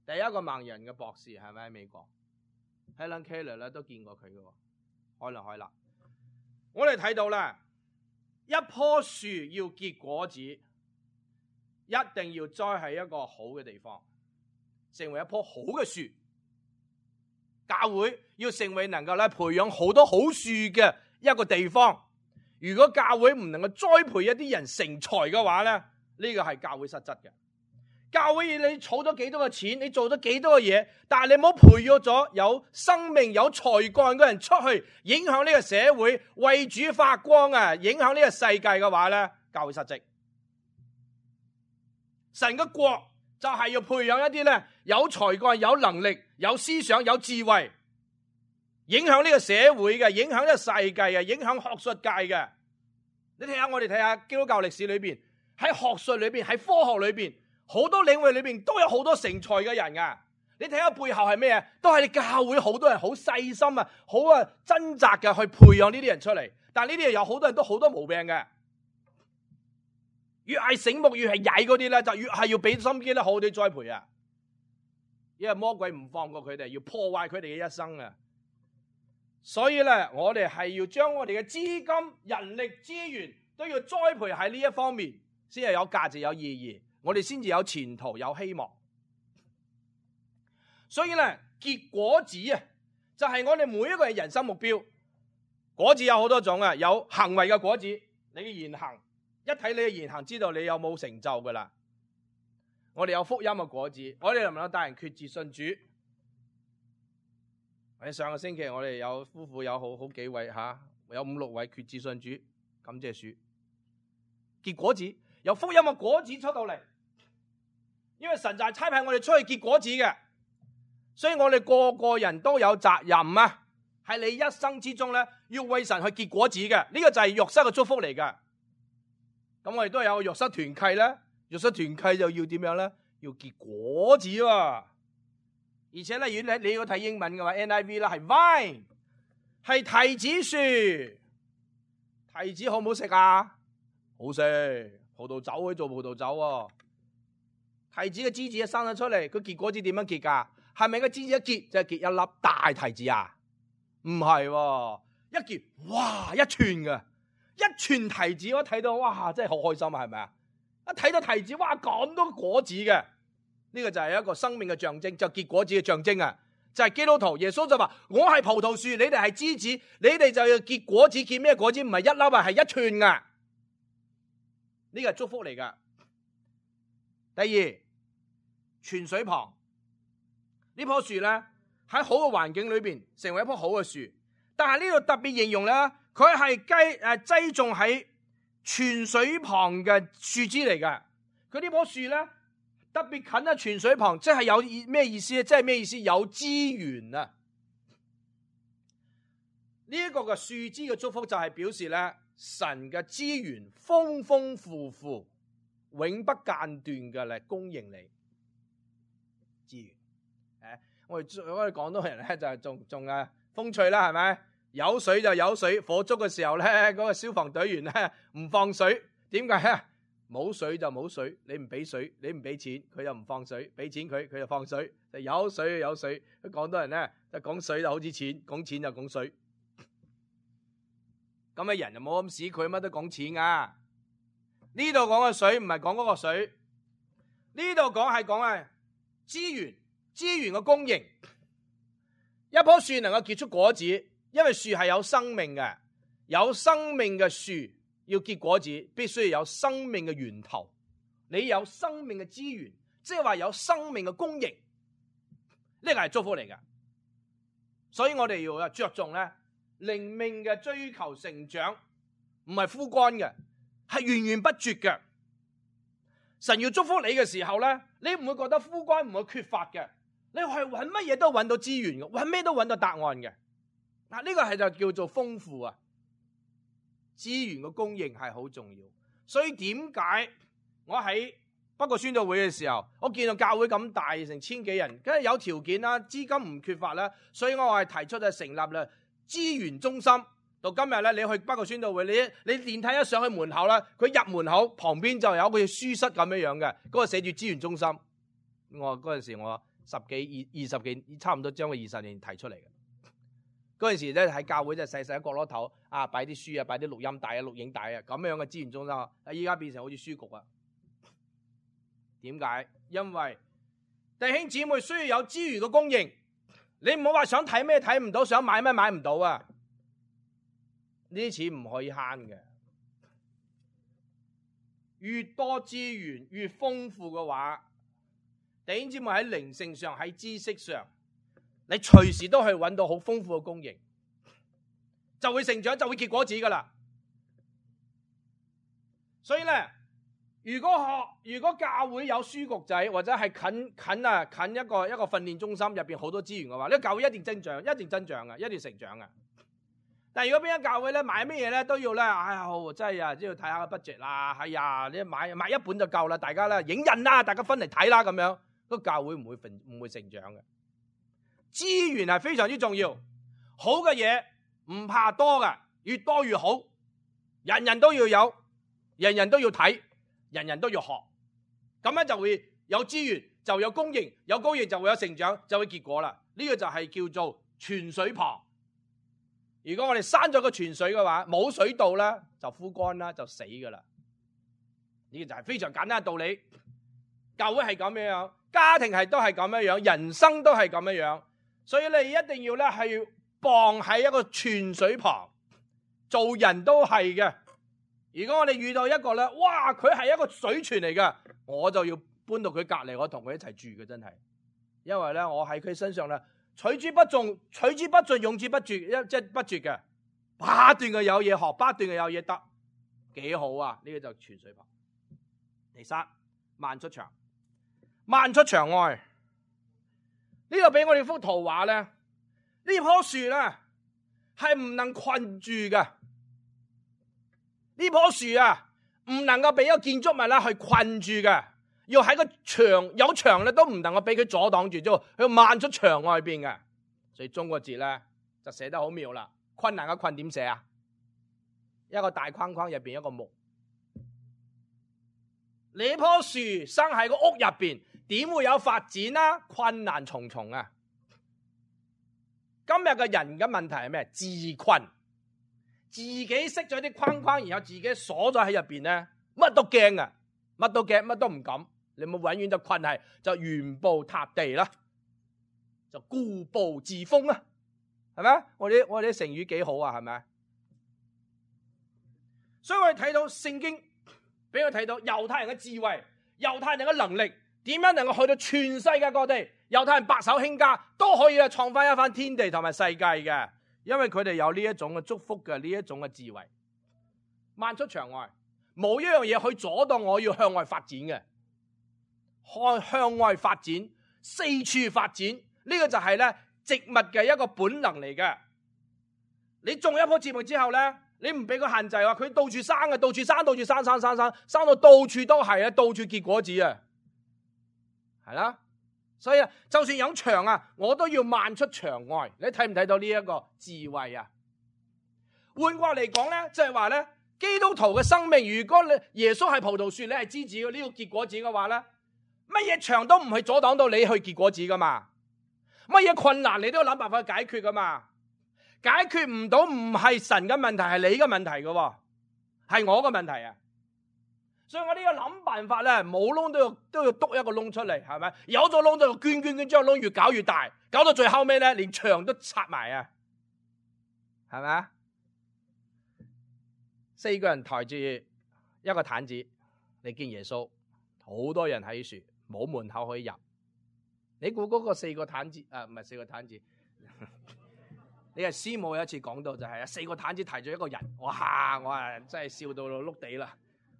第一個盲人嘅博士係咪喺美國 Helen Keller 咧都見過佢嘅，開啦開啦。我哋睇到咧，一棵樹要結果子，一定要栽喺一個好嘅地方，成為一棵好嘅樹。教會要成為能夠咧培養好多好樹嘅一個地方。如果教會唔能夠栽培一啲人成才嘅話咧，呢個係教會失質嘅。教會你儲咗幾多嘅錢，你做咗幾多嘅嘢，但係你冇培育咗有生命有才幹嘅人出去，影響呢個社會，為主發光啊，影響呢個世界嘅話咧，教會失職。神嘅國就係要培養一啲咧有才幹、有能力、有思想、有智慧，影響呢個社會嘅，影響呢個世界嘅，影響學術界嘅。你睇下我哋睇下基督教歷史裏邊，喺學術裏邊，喺科學裏邊，好多領域裏邊都有好多成才嘅人噶。你睇下背後係咩啊？都係你教會好多人好細心啊，好啊掙扎嘅去培養呢啲人出嚟。但係呢啲人有好多人都好多毛病嘅。越係醒目越係曳嗰啲咧，就越係要俾心機咧，好好地栽培啊！因為魔鬼唔放過佢哋，要破壞佢哋嘅一生啊！所以咧，我哋係要將我哋嘅資金、人力、資源都要栽培喺呢一方面，先係有價值、有意義，我哋先至有前途、有希望。所以咧，結果子啊，就係我哋每一個人人生目標。果子有好多種啊，有行為嘅果子，你嘅言行。一睇你嘅言行，知道你有冇成就噶啦。我哋有福音嘅果子，我哋能唔能夠帶人決志信主？喺上個星期，我哋有夫婦有好好幾位吓、啊，有五六位決志信主，感謝主。結果子有福音嘅果子出到嚟，因為神就係差派我哋出去結果子嘅，所以我哋個個人都有責任啊！喺你一生之中咧，要為神去結果子嘅，呢、這個就係約瑟嘅祝福嚟噶。咁我哋都有約瑟團契咧，約瑟團契就要點樣咧？要結果子喎、啊！而且咧，如果你你要睇英文嘅話 ，N I V 啦，係 vine， 係提子樹。提子好唔好食啊？好食，葡萄酒可以做葡萄酒喎。提子嘅枝子一生咗出嚟，佢結果子點樣結噶？係咪個枝子一結就係、是、結一粒大提子啊？唔係喎，一結哇一串嘅。一串提子，我睇到哇，真係好開心啊，係咪啊？一睇到提子，哇咁多果子嘅，呢個就係一個生命嘅象徵，就結果子嘅象徵啊！就係基督徒，耶穌就話：我係葡萄樹，你哋係枝子，你哋就要結果子，結咩果子？唔係一粒啊，係一串噶。呢個係祝福嚟噶。第二，泉水旁呢棵樹咧，喺好嘅環境裏邊，成為一棵好嘅樹。但係呢度特別形容咧。佢係雞誒栽種喺泉水旁嘅樹枝嚟嘅。佢呢棵樹咧特別近喺泉水旁，即係有咩意思咧？即係咩意思？有資源啊！呢、這、一個嘅樹枝嘅祝福就係表示咧，神嘅資源豐豐富富、永不間斷嘅嚟供應你資源。誒，我哋我哋廣東人咧就係種種啊風趣啦，係咪？有水就有水，火燭嘅時候咧，嗰、那個消防隊員咧唔放水，點解咧？冇水就冇水，你唔俾水，你唔俾錢，佢就唔放水；俾錢佢，佢就放水。就有水就有水，廣東人咧就講水就好似錢，講錢就講水。咁嘅人就冇咁屎，佢乜都講錢啊！呢度講嘅水唔係講嗰個水，呢度講係講係資源，資源嘅供應。一棵樹能夠結出果子，因為樹係有生命嘅，有生命嘅樹要結果子，必須要有生命嘅源頭。你有生命嘅資源，即係話有生命嘅供應，呢個係祝福嚟嘅。所以我哋要着重咧靈命嘅追求成長，唔係枯乾嘅，係源源不絕嘅。神要祝福你嘅時候咧，你唔會覺得枯乾，唔會缺乏嘅。你係揾乜嘢都揾到資源嘅，揾咩都揾到答案嘅。嗱，呢個係就叫做豐富啊！資源嘅供應係好重要，所以點解我喺北角宣道會嘅時候，我見到教會咁大，成千幾人，梗係有條件啦，資金唔缺乏啦，所以我係提出就成立啦資源中心。到今日咧，你去北角宣道會，你你電梯一上去門口咧，佢入門口旁邊就有個書室咁樣樣嘅，嗰個寫住資源中心。我嗰陣時我十幾二二十幾，差唔多將個二十年提出嚟嘅。嗰陣時咧喺教會就細細一角落頭啊，擺啲書啊，擺啲錄音帶啊、錄影帶啊，咁樣嘅資源中心啊，依家變成好似書局啊。點解？因為弟兄姊妹需要有資源嘅供應，你唔好話想睇咩睇唔到，想買咩買唔到啊！呢啲錢唔可以慳嘅，越多資源越豐富嘅話，弟兄姊妹喺靈性上、喺知識上，你隨時都可以揾到好豐富嘅供應，就會成長，就會結果子噶啦。所以咧，如果學，如果教會有書局仔，或者係近近啊近一個一個訓練中心入邊好多資源嘅話，呢個教會一定增長，一定增長嘅，一定成長嘅。但係如果邊間教會咧買乜嘢咧都要咧，哎呀，真係啊，都要睇下個 budget 啦，係呀，你買買一本就夠啦，大家咧影印啦，大家分嚟睇啦，咁樣個教會唔會成唔會成長嘅。資源係非常之重要，好嘅嘢唔怕多嘅，越多越好，人人都要有，人人都要睇，人人都要學，咁樣就會有資源，就有供應，有供應就會有成長，就會結果啦。呢個就係叫做泉水旁。如果我哋閂咗個泉水嘅話，冇水道啦，就枯乾啦，就死噶啦。呢個就係非常簡單嘅道理。教會係咁樣樣，家庭係都係咁樣樣，人生都係咁樣樣。所以你一定要咧係傍喺一個泉水旁，做人都係嘅。如果我哋遇到一個咧，哇，佢係一個水泉嚟嘅，我就要搬到佢隔籬，我同佢一齊住嘅，真係。因為咧，我喺佢身上咧。取之不盡，取之不盡，用之不絕，一即係不絕嘅，不斷嘅有嘢學，不斷嘅有嘢得，幾好啊！呢、這個就泉水旁。第三，漫出牆，漫出牆外。呢度俾我哋幅圖畫咧，呢棵樹咧係唔能困住嘅。呢棵樹啊，唔能夠俾一個建築物啦去困住嘅。要喺個牆有牆咧，都唔能夠俾佢阻擋住，啫佢漫出牆外邊嘅。所以中國字咧就寫得好妙啦。困難嘅困點寫啊？一個大框框入邊一個木。你棵樹生喺個屋入邊，點會有發展啊？困難重重啊！今日嘅人嘅問題係咩？自困，自己識咗啲框框，然後自己鎖咗喺入邊咧，乜都驚啊，乜都驚，乜都唔敢。你冇永遠就困係就原步踏地啦，就固步自封啦，係咪？我哋我哋啲成語幾好啊，係咪？所以我哋睇到聖經俾我睇到猶太人嘅智慧，猶太人嘅能力，點樣能夠去到全世界各地？猶太人白手興家都可以啊，創翻一番天地同埋世界嘅，因為佢哋有呢一種嘅祝福嘅呢一種嘅智慧。漫出牆外，冇一樣嘢去阻擋我要向外發展嘅。向向外發展，四處發展，呢、這個就係咧植物嘅一個本能嚟嘅。你種一棵植物之後咧，你唔俾佢限制話，佢到處生嘅，到處生，到處生，生生生，生到到處都係啊，到處結果子啊，係啦。所以啊，就算有牆啊，我都要漫出牆外。你睇唔睇到呢一個智慧啊？換過嚟講咧，即係話咧，基督徒嘅生命，如果你耶穌係葡萄樹，你係枝子嘅呢個結果子嘅話咧。乜嘢牆都唔係阻擋到你去結果子噶嘛？乜嘢困難你都要諗辦法去解決噶嘛？解決唔到唔係神嘅問題，係你嘅問題噶，係我嘅問題啊！所以我哋要諗辦法咧，冇窿都要都要篤一個窿出嚟，係咪？有咗窿就捐捐捐，將個窿越搞越大，搞到最後尾咧，連牆都拆埋啊，係咪啊？四個人抬住一個毯子嚟見耶穌，好多人喺樹，冇門口可以入。你估嗰個四個毯子啊？唔係四個毯子，你係師母有一次講到就係啊，四個毯子提咗一個人，哇！我啊真係笑到碌地啦。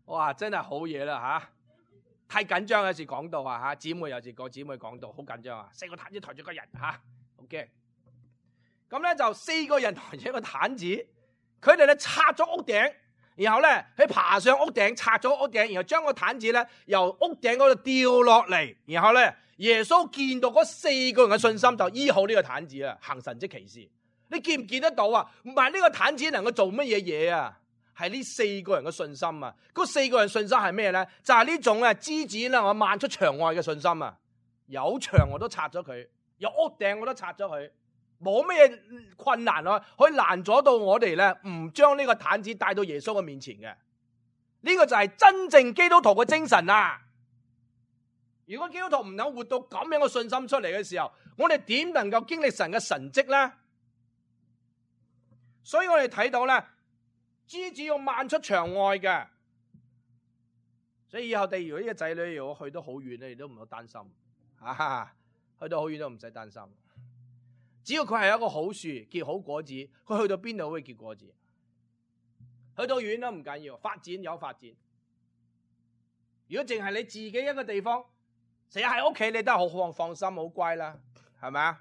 哇！真係好嘢啦嚇，太緊張有時講到啊嚇，姊妹有時個姊妹講到好緊張啊，四個毯子抬住個人嚇，好驚。咁咧就四個人抬住一個毯子，佢哋咧拆咗屋頂，然後咧佢爬上屋頂，拆咗屋頂，然後將個毯子咧由屋頂嗰度掉落嚟，然後咧耶穌見到嗰四個人嘅信心就醫好呢個毯子啊，行神蹟奇事。你見唔見得到啊？唔係呢個毯子能夠做乜嘢嘢啊？係呢四個人嘅信心啊！嗰四個人信心係咩咧？就係、是、呢種啊枝子啦，我漫出牆外嘅信心啊！有牆我都拆咗佢，有屋頂我都拆咗佢，冇咩困難啊，可以攔阻到我哋咧，唔將呢個毯子帶到耶穌嘅面前嘅。呢、這個就係真正基督徒嘅精神啊！如果基督徒唔能活到咁樣嘅信心出嚟嘅時候，我哋點能夠經歷神嘅神蹟咧？所以我哋睇到咧。枝子要漫出牆外嘅，所以以後地如果呢個仔女如果去到好遠咧，你都唔好擔心，啊，去到好遠都唔使擔心。只要佢係一個好樹，結好果子，佢去到邊度都會結果子。去到遠都唔緊要，發展有發展。如果淨係你自己一個地方，成日喺屋企，你都係好放放心，好乖啦，係咪啊？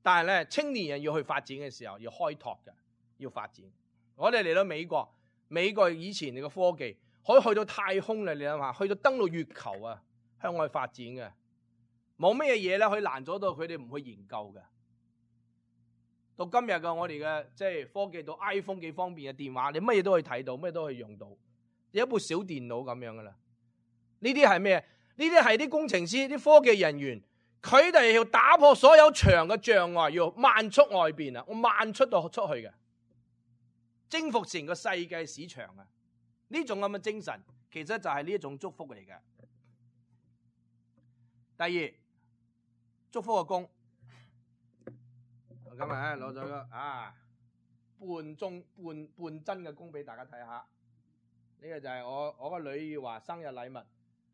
但係咧，青年人要去發展嘅時候，要開拓嘅，要發展。我哋嚟到美國，美國以前嘅科技可以去到太空啦，你諗下，去到登陸月球啊，向外發展嘅，冇咩嘢咧可以攔阻到佢哋唔去研究嘅。到今日嘅我哋嘅即係科技到 iPhone 幾方便嘅電話，你乜嘢都可以睇到，乜嘢都可以用到，有一部小電腦咁樣噶啦。呢啲係咩？呢啲係啲工程師、啲科技人員，佢哋要打破所有牆嘅障礙，要漫出外邊啊，我漫出到出去嘅。征服成個世界市場啊！呢種咁嘅精神，其實就係呢一種祝福嚟嘅。第二，祝福嘅弓，我今日咧攞咗個啊半中半半真嘅弓俾大家睇下。呢、這個就係我我個女兒話生日禮物，呢、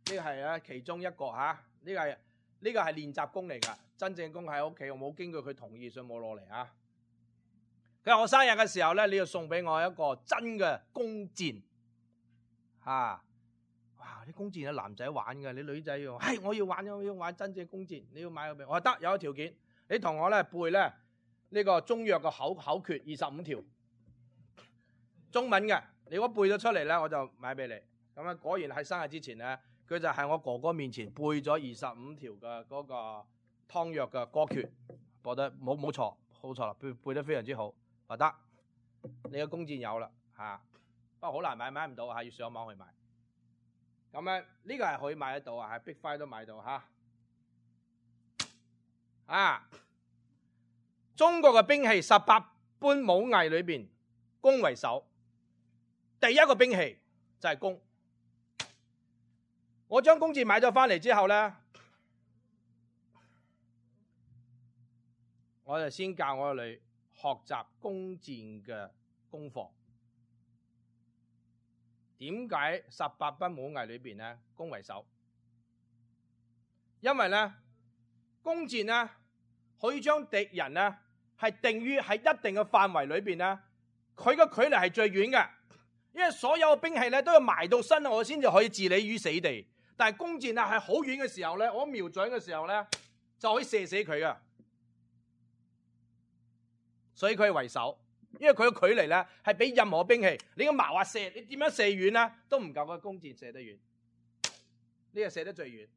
這個係啊其中一個吓，呢、這個係呢、這個係練習弓嚟噶，真正弓喺屋企，我冇經過佢同意，所以冇攞嚟啊。佢話我生日嘅時候咧，你要送俾我一個真嘅弓箭，吓、啊，哇！啲弓箭係男仔玩嘅，你女仔要，係我要玩，我要玩真正弓箭，你要買個俾我，我得有個條件，你同我咧背咧呢、這個中藥嘅口口訣二十五條，中文嘅，你如果背咗出嚟咧，我就買俾你。咁啊，果然喺生日之前咧，佢就喺我哥哥面前背咗二十五條嘅嗰個湯藥嘅歌訣，背得冇冇錯，好錯啦，背背得非常之好。話得，你個弓箭有啦嚇，不過好難買，買唔到嚇，要上網去買。咁咧呢個係可以買得到啊，喺 Big Five 都買到嚇。啊，中國嘅兵器十八般武藝裏邊，弓為首。第一個兵器就係弓。我將弓箭買咗翻嚟之後咧，我就先教我個女學習弓箭嘅功課。點解十八般武藝裏邊咧弓為首？因為咧弓箭咧可以將敵人咧係定於喺一定嘅範圍裏邊咧，佢嘅距離係最遠嘅。因為所有嘅兵器咧都要埋到身，我先至可以置你於死地。但係弓箭咧係好遠嘅時候咧，我瞄準嘅時候咧就可以射死佢噶。所以佢係為首，因為佢嘅距離咧係比任何兵器，你個矛話射，你點樣射遠咧都唔夠個弓箭射得遠。呢個射得最遠。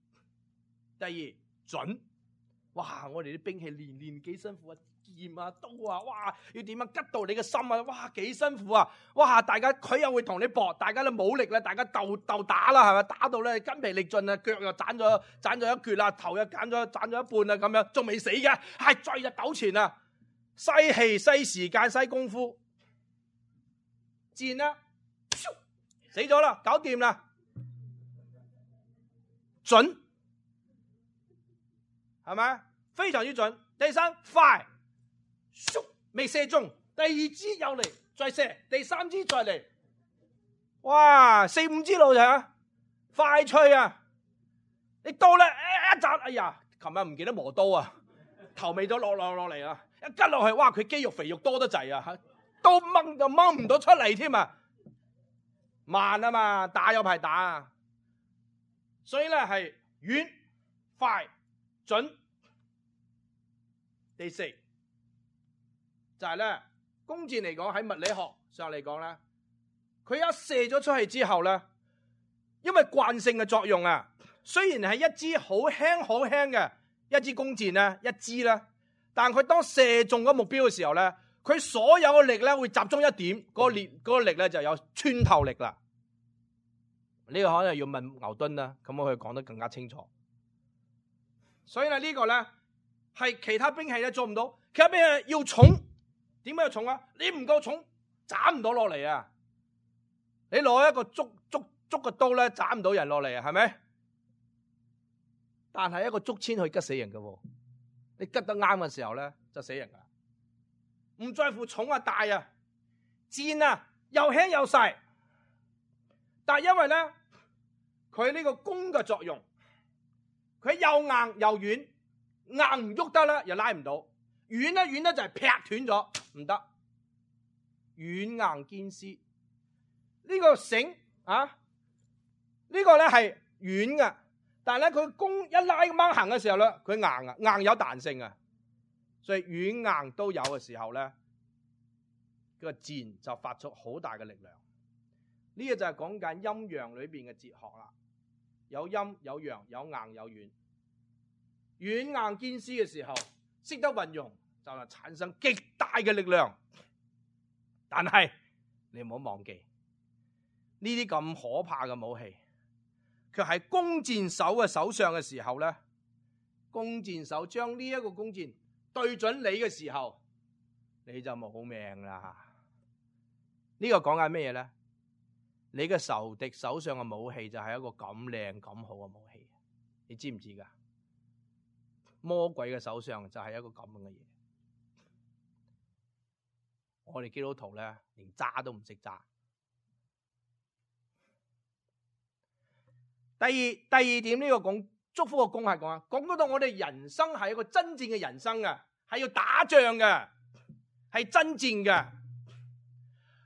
第二準，哇！我哋啲兵器練練幾辛苦啊，劍啊刀啊，哇！要點樣吉到你嘅心啊，哇！幾辛苦啊，哇！大家佢又會同你搏，大家都冇力啦，大家鬥鬥打啦，係咪？打到咧筋疲力盡啊，腳又斬咗斬咗一橛啦，頭又斬咗斬咗一半啊，咁樣仲未死嘅，係再日糾纏啊！嘥氣、嘥時間、嘥功夫，箭啦，死咗啦，搞掂啦，準係咪？非常之準。第三快，咻未射中，第二支又嚟再射，第三支再嚟，哇四五支路就啊，快脆啊！你到啦，一扎，哎呀，琴日唔記得磨刀啊，頭尾都落落落嚟啊，一吉落去，哇佢肌肉肥肉多得滯啊，都掹就掹唔到出嚟添啊！慢啊嘛，打有排打啊，所以咧係遠、快、準。第四就係咧，弓箭嚟講喺物理學上嚟講咧，佢一射咗出去之後咧，因為慣性嘅作用啊，雖然係一支好輕好輕嘅一支弓箭咧，一支啦，但佢當射中嗰目標嘅時候咧，佢所有嘅力咧會集中一點，嗰個力嗰個力咧就有穿透力啦。呢個可能要問牛頓啦，咁我可以講得更加清楚。所以咧呢個咧係其他兵器咧做唔到，其他兵器要重，點解要重啊？你唔夠重，斬唔到落嚟啊！你攞一個竹竹竹嘅刀咧，斬唔到人落嚟啊，係咪？但係一個竹籤可以吉死人嘅，你吉得啱嘅時候咧就死人噶，唔在乎重啊大啊，箭啊又輕又細，但係因為咧佢呢個弓嘅作用，佢又硬又軟，硬唔喐得啦，又拉唔到；軟咧軟咧就係劈斷咗，唔得。軟硬兼施，呢個繩啊，呢個咧係軟嘅，但係咧佢弓一拉掹行嘅時候咧，佢硬啊，硬有彈性啊，所以軟硬都有嘅時候咧，個箭就發出好大嘅力量。呢個就係講緊陰陽裏邊嘅哲學啦，有陰有陽，有硬有軟，軟硬兼施嘅時候，識得運用就係產生極大嘅力量。但係你唔好忘記呢啲咁可怕嘅武器，佢喺弓箭手嘅手上嘅時候咧，弓箭手將呢一個弓箭對準你嘅時候，你就冇命啦。呢個講緊咩嘢咧？你嘅仇敵手上嘅武器就係一個咁靚咁好嘅武器，你知唔知噶？魔鬼嘅手上就係一個咁樣嘅嘢。我哋基督徒咧，連揸都唔識揸。第二第二點，呢個講祝福嘅功係講啊，講到我哋人生係一個真正嘅人生啊，係要打仗嘅，係爭戰嘅。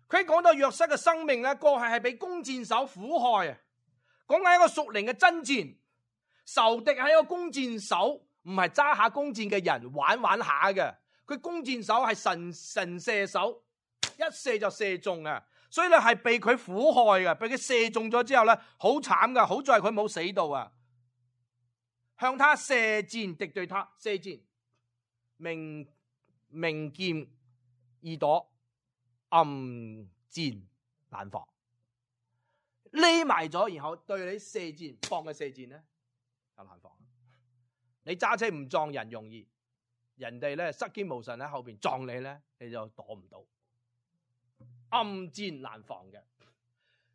佢講到約瑟嘅生命咧，過去係俾弓箭手苦害啊，講緊一個屬靈嘅爭戰，仇敵係一個弓箭手，唔係揸下弓箭嘅人玩玩下嘅。佢弓箭手係神神射手，一射就射中啊！所以咧係被佢苦害嘅，被佢射中咗之後咧，好慘噶。好在佢冇死到啊！向他射箭，敵對他射箭，明明劍易躲，暗箭難防。匿埋咗，然後對你射箭，放嘅射箭咧就難防。你揸車唔撞人容易。人哋咧失驚無神喺後邊撞你咧，你就躲唔到，暗箭難防嘅。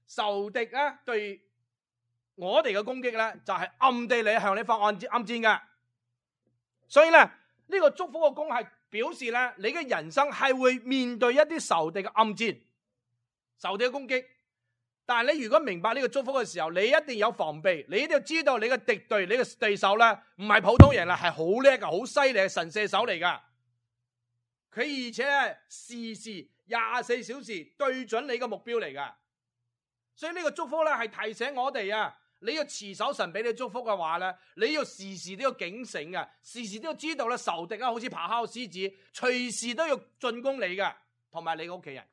仇敵咧對我哋嘅攻擊咧，就係暗地裏向你放暗箭暗箭嘅。所以咧呢個祝福嘅功係表示咧，你嘅人生係會面對一啲仇敵嘅暗箭、仇敵嘅攻擊。但係你如果明白呢個祝福嘅時候，你一定有防備，你一定要知道你嘅敵對、你嘅對手咧，唔係普通人啦，係好叻嘅、好犀利嘅神射手嚟噶。佢而且係時時廿四小時對準你嘅目標嚟噶。所以呢個祝福咧係提醒我哋啊，你要持守神俾你祝福嘅話咧，你要時時都要警醒啊，時時都要知道咧仇敵啊，好似咆哮獅子，隨時都要進攻你嘅，同埋你嘅屋企人。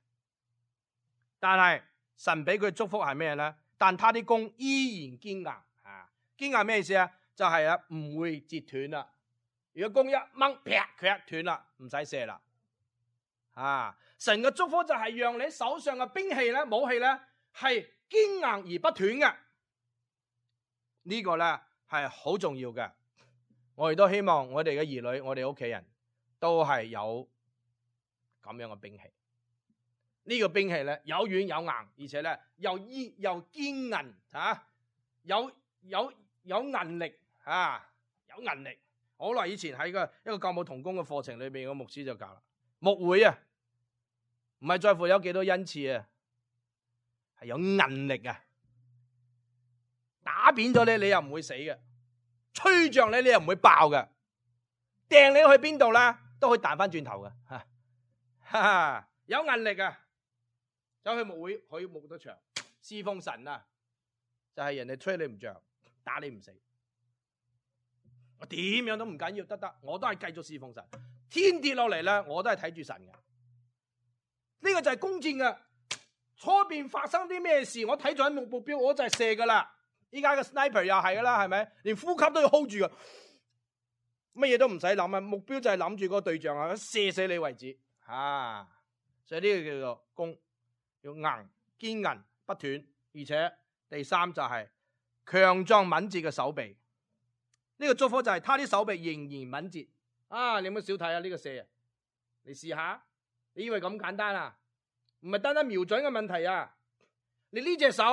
但係神俾佢祝福係咩咧？但他啲弓依然堅硬啊！堅硬咩意思啊？就係啊，唔會折斷啦。如果弓一掹，啪，佢一斷啦，唔使射啦。啊！神嘅祝福就係讓你手上嘅兵器咧、武器咧係堅硬而不斷嘅。呢個咧係好重要嘅。我亦都希望我哋嘅兒女、我哋屋企人都係有咁樣嘅兵器。呢個兵器咧有軟有硬，而且咧又堅又堅韌嚇，有有有韌力嚇，有韌力。好耐以前喺個一個教牧同工嘅課程裏邊，個牧師就教啦，牧會啊，唔係在乎有幾多恩賜啊，係有韌力啊。打扁咗你，你又唔會死嘅；吹脹你，你又唔會爆嘅；掟你去邊度啦，都可以彈翻轉頭嘅。哈哈，有韌力啊！走去牧會可以牧得長，侍奉神啊，就係、是、人哋吹你唔脹，打你唔死。我點樣都唔緊要，得得，我都係繼續侍奉神。天跌落嚟咧，我都係睇住神嘅。呢、這個就係弓箭嘅。初邊發生啲咩事，我睇咗喺目目標，我就係射噶啦。依家嘅 sniper 又係噶啦，係咪？連呼吸都要 hold 住噶，乜嘢都唔使諗啊！目標就係諗住個對象啊，射死你為止啊！所以呢個叫做弓，要硬堅韌不斷，而且第三就係強壯敏捷嘅手臂。呢、這個祝福就係他啲手臂仍然敏捷啊！你有冇少睇啊？呢、這個射啊，你試下，你以為咁簡單啊？唔係單單瞄準嘅問題啊！你呢隻手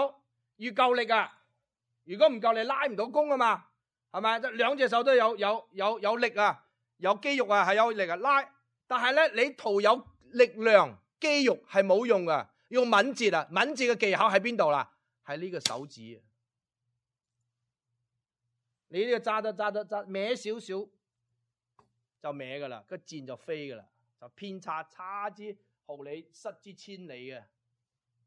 要夠力啊！如果唔夠，你拉唔到弓啊嘛，係咪？兩隻手都有有有有力啊，有肌肉啊，係有力啊拉。但係咧，你徒有力量，肌肉係冇用噶，用敏捷啊！敏捷嘅技巧喺邊度啦？喺呢個手指啊！你呢個揸得揸得揸歪少少就歪噶啦，個箭就飛噶啦，就偏差差之毫厘，失之千里嘅，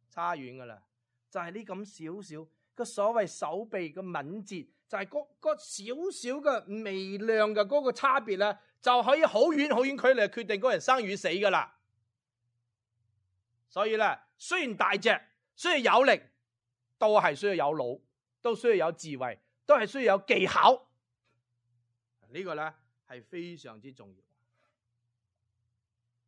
差遠噶啦，就係呢咁少少。個所謂手臂嘅敏捷，就係嗰嗰少少嘅微量嘅嗰個差別咧，就可以好遠好遠距離決定嗰人生與死噶啦。所以咧，雖然大隻，雖然有力，都係需要有腦，都需要有智慧，都係需要有技巧。這個、呢個咧係非常之重要。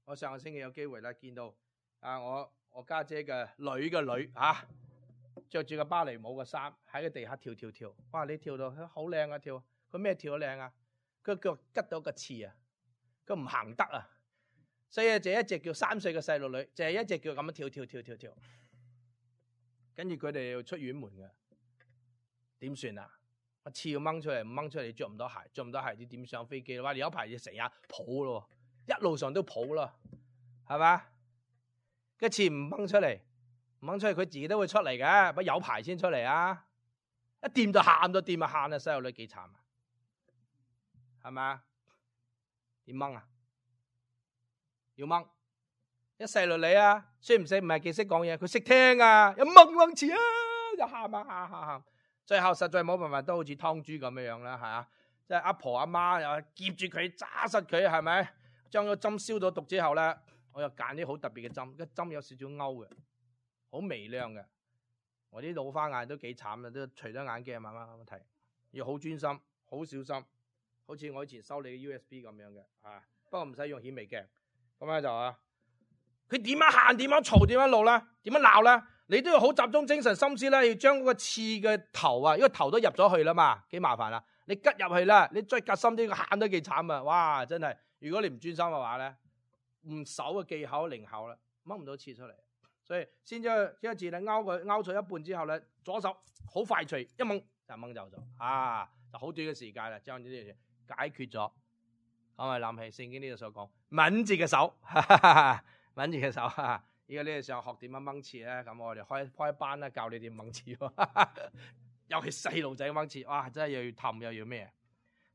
我上個星期有機會咧見到啊，我我家姐嘅女嘅女啊。着住個芭蕾舞嘅衫喺個地下跳跳跳，哇！你跳到好靚啊跳，佢咩跳得靚啊？佢腳吉到個刺啊，佢唔行得啊，所以就一隻叫三歲嘅細路女，就係一隻叫咁樣跳跳跳跳跳，跟住佢哋要出院門嘅，點算啊？個刺要掹出嚟，唔掹出嚟你着唔到鞋，着唔到鞋你點上飛機？哇！你有排就成日抱咯，一路上都抱咯，係嘛？個刺唔掹出嚟。唔掹出嚟，佢自己都會出嚟嘅，不過有排先出嚟啊！一掂就喊咗，掂就喊啊！細路女幾慘啊，係咪啊？點掹啊？要掹一細路女啊，識唔識？唔係幾識講嘢，佢識聽啊！一掹掹詞啊，就喊啊喊喊喊，最後實在冇辦法，都好似湯豬咁樣樣啦，係啊！即係阿婆阿媽又夾住佢揸實佢，係咪？將個針消咗毒之後咧，我又揀啲好特別嘅針，個針有少少勾嘅。好微量嘅，我啲老花眼都幾慘啦，都除咗眼鏡慢慢咁睇，要好專心，好小心，好似我以前收你嘅 U S B 咁樣嘅，啊，不過唔使用顯微鏡，咁咧就啊，佢點樣行，點樣嘈，點樣怒啦，點樣鬧啦，你都要好集中精神心思咧，要將嗰個刺嘅頭啊，因為頭都入咗去啦嘛，幾麻煩啦，你吉入去啦，你再夾深啲，個喊都幾慘啊，哇，真係，如果你唔專心嘅話咧，唔手嘅技巧靈巧啦，掹唔到刺出嚟。所以先將將個字咧勾佢勾咗一半之後咧，左手好快脆一掹就掹走咗，啊，就好短嘅時間啦，將呢啲嘢解決咗。咁咪諗起聖經呢度所講敏捷嘅手，哈哈哈敏捷嘅手。而家呢度想學點樣掹刺咧，咁我哋開開班啦，教你點掹刺。尤其細路仔掹刺，哇，真係又要氹又要咩？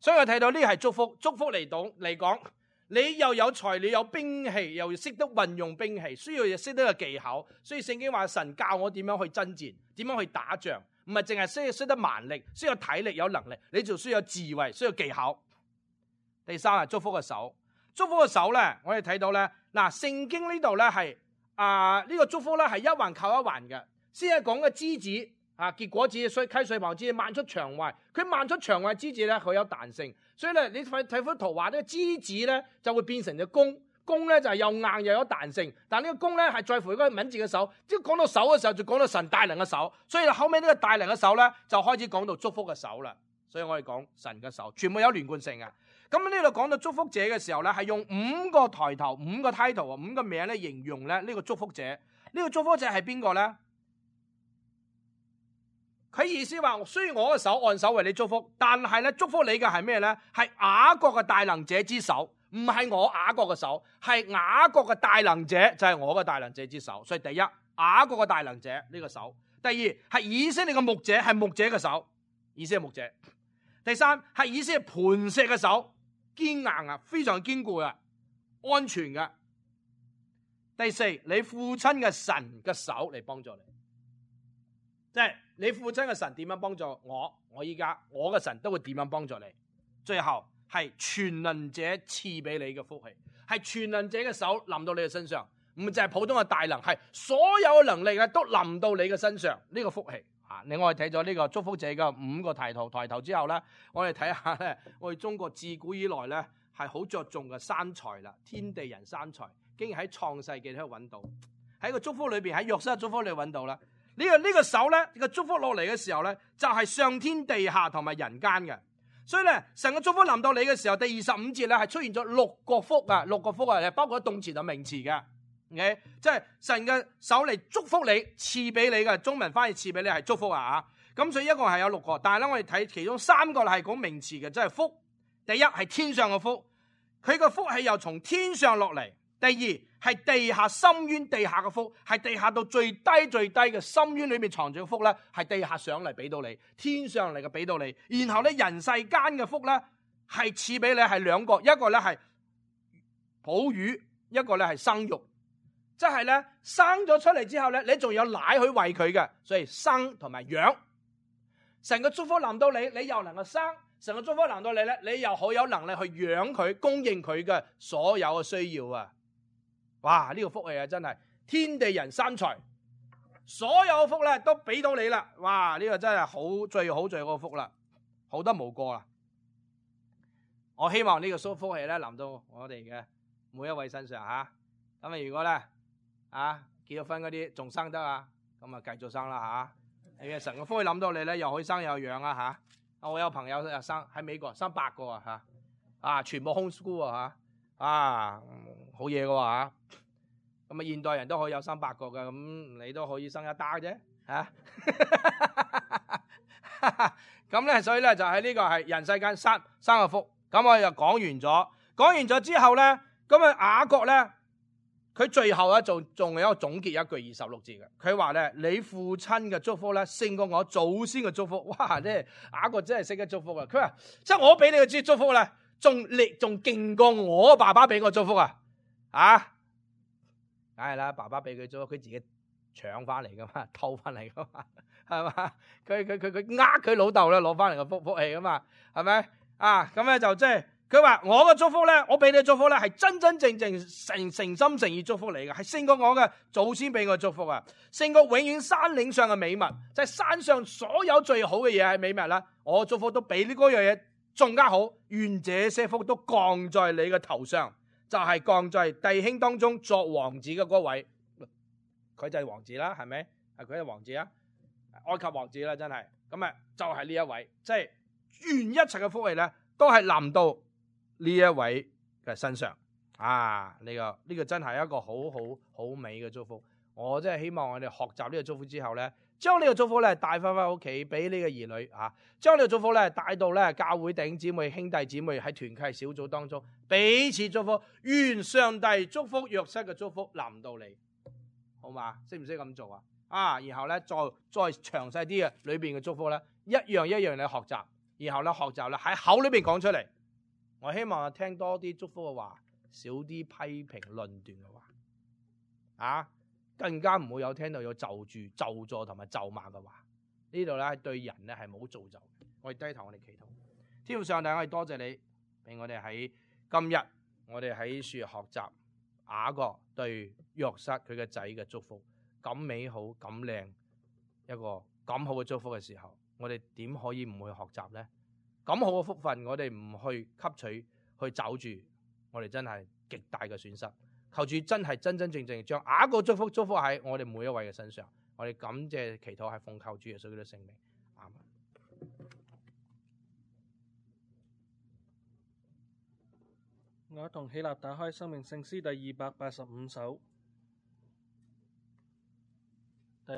所以我睇到呢係祝福，祝福嚟講嚟講。你又有才，你有兵器，又要識得運用兵器，需要亦識得個技巧。所以聖經話神教我點樣去爭戰，點樣去打仗，唔係淨係需要識得蠻力，需要體力有能力，你就需要智慧，需要技巧。第三係祝福嘅手，祝福嘅手咧，我哋睇到咧，嗱，聖經呢度咧係啊呢個祝福咧係一環扣一環嘅，先係講嘅枝子啊，結果子所以溪水旁枝蔓出牆外，佢蔓出牆外枝子咧，佢有彈性。所以咧，你睇睇幅圖畫，呢個枝子咧就會變成隻弓，弓咧就係又硬又有彈性。但呢個弓咧係在乎嗰個敏捷嘅手。即係講到手嘅時候，就講到神大能嘅手。所以後尾呢個大能嘅手咧，就開始講到祝福嘅手啦。所以我哋講神嘅手，全部有連貫性嘅。咁呢度講到祝福者嘅時候咧，係用五個抬頭、五個 title 啊、五個名咧形容咧呢個祝福者。呢個祝福者係邊個咧？佢意思話，雖然我嘅手按手為你祝福，但係咧祝福你嘅係咩咧？係雅各嘅大能者之手，唔係我雅各嘅手，係雅各嘅大能者就係我嘅大能者之手。所以第一，雅各嘅大能者呢個手；第二係以色列嘅牧者，係牧者嘅手，以色列牧者；第三係以色列磐石嘅手，堅硬啊，非常堅固啊，安全嘅；第四，你父親嘅神嘅手嚟幫助你，即係你父親嘅神點樣幫助我，我依家我嘅神都會點樣幫助你。最後係全能者賜俾你嘅福氣，係全能者嘅手臨到你嘅身上，唔就係普通嘅大能，係所有嘅能力咧都臨到你嘅身上。呢、這個福氣啊！另外睇咗呢個祝福者嘅五個抬頭抬頭之後咧，我哋睇下咧，我哋中國自古以來咧係好着重嘅三才啦，天地人三才，竟然喺創世紀喺度揾到，喺個祝福裏邊，喺約瑟祝福裏揾到啦。呢、這個呢、這個手咧，這個祝福落嚟嘅時候咧，就係、是、上天地下同埋人間嘅。所以咧，神嘅祝福臨到你嘅時候，第二十五節咧係出現咗六個福啊，六個福啊，係包括動詞同名詞嘅。OK， 即係神嘅手嚟祝福你，賜俾你嘅。中文翻譯賜俾你係祝福啊。咁所以一共係有六個，但係咧我哋睇其中三個係講名詞嘅，即係福。第一係天上嘅福，佢個福係由從天上落嚟。第二係地下深淵地下嘅福，係地下到最低最低嘅深淵裏面藏住嘅福咧，係地下上嚟俾到你，天上嚟嘅俾到你。然後咧人世間嘅福咧係賜俾你係兩個，一個咧係哺乳，一個咧係生育，即係咧生咗出嚟之後咧，你仲有奶去餵佢嘅，所以生同埋養。神嘅祝福臨到你，你又能夠生；神嘅祝福臨到你咧，你又好有能力去養佢，供應佢嘅所有嘅需要啊！哇！呢個福氣啊，真係天地人三才，所有嘅福咧都俾到你啦！哇！呢個真係好最好最好嘅福啦，好得無過啦！我希望呢個福福氣咧臨到我哋嘅每一位身上吓。咁啊，如果咧啊結咗婚嗰啲仲生得啊，咁啊繼續生啦吓。誒，神嘅福氣諗到你咧，又可以生又養啊吓。我有朋友又生喺美國生八個啊吓，啊全部 homeschool 啊吓，啊好嘢嘅喎。咁啊，現代人都可以有生八個嘅，咁你都可以生一打啫，嚇。咁咧，所以咧就喺呢個係人世間生生個福。咁我又講完咗，講完咗之後咧，咁啊雅各咧，佢最後咧仲仲有一個總結一句二十六節嘅，佢話咧：你父親嘅祝福咧勝過我祖先嘅祝福。哇！即係雅各真係識得祝福啊！佢話：即係我俾你嘅祝福咧，仲力仲勁過我爸爸俾我祝福啊！啊！梗係啦，爸爸俾佢咗，佢自己搶翻嚟噶嘛，偷翻嚟噶嘛，係嘛？佢佢佢佢呃佢老豆咧，攞翻嚟個福福氣噶嘛，係咪？啊，咁咧就即係佢話我嘅祝福咧，我俾你嘅祝福咧，係真真正正誠誠心誠意祝福你嘅，係勝過我嘅祖先俾我祝福啊，勝過永遠山嶺上嘅美物，就係、是、山上所有最好嘅嘢係美物啦，我祝福都比呢嗰樣嘢仲加好，願這些福都降在你嘅頭上。就係降在弟兄當中作王子嘅嗰位，佢就係王子啦，係咪？係佢係王子啊，埃及王子啦，真係咁啊，就係呢一位，即係願一切嘅福氣咧，都係臨到呢一位嘅身上啊！呢個呢個真係一個好好好美嘅祝福。我真係希望我哋學習呢個祝福之後咧，將呢個祝福咧帶翻翻屋企俾呢個兒女啊，將呢個祝福咧帶到咧教會弟兄姊妹兄弟姊妹喺團契小組當中彼此祝福，願上帝祝福約瑟嘅祝福臨到你，好嘛？識唔識咁做啊？啊，然後咧再再詳細啲嘅裏邊嘅祝福咧，一樣一樣你學習，然後咧學習咧喺口裏邊講出嚟。我希望聽多啲祝福嘅話，少啲批評論斷嘅話，啊！更加唔會有聽到有就住咒詛同埋咒罵嘅話，呢度咧對人咧係冇造就。我哋低頭，我哋祈禱。天父上帝，我哋多謝你，俾我哋喺今日，我哋喺樹學習雅各對約瑟佢嘅仔嘅祝福，咁美好、咁靚一個咁好嘅祝福嘅時候，我哋點可以唔去學習咧？咁好嘅福分，我哋唔去吸取、去找住，我哋真係極大嘅損失。求主真係真真正正將雅各祝福祝福喺我哋每一位嘅身上，我哋感謝祈禱係奉靠主耶穌嘅聖名，阿門。我一同起立打開生命聖詩第二百八十五首。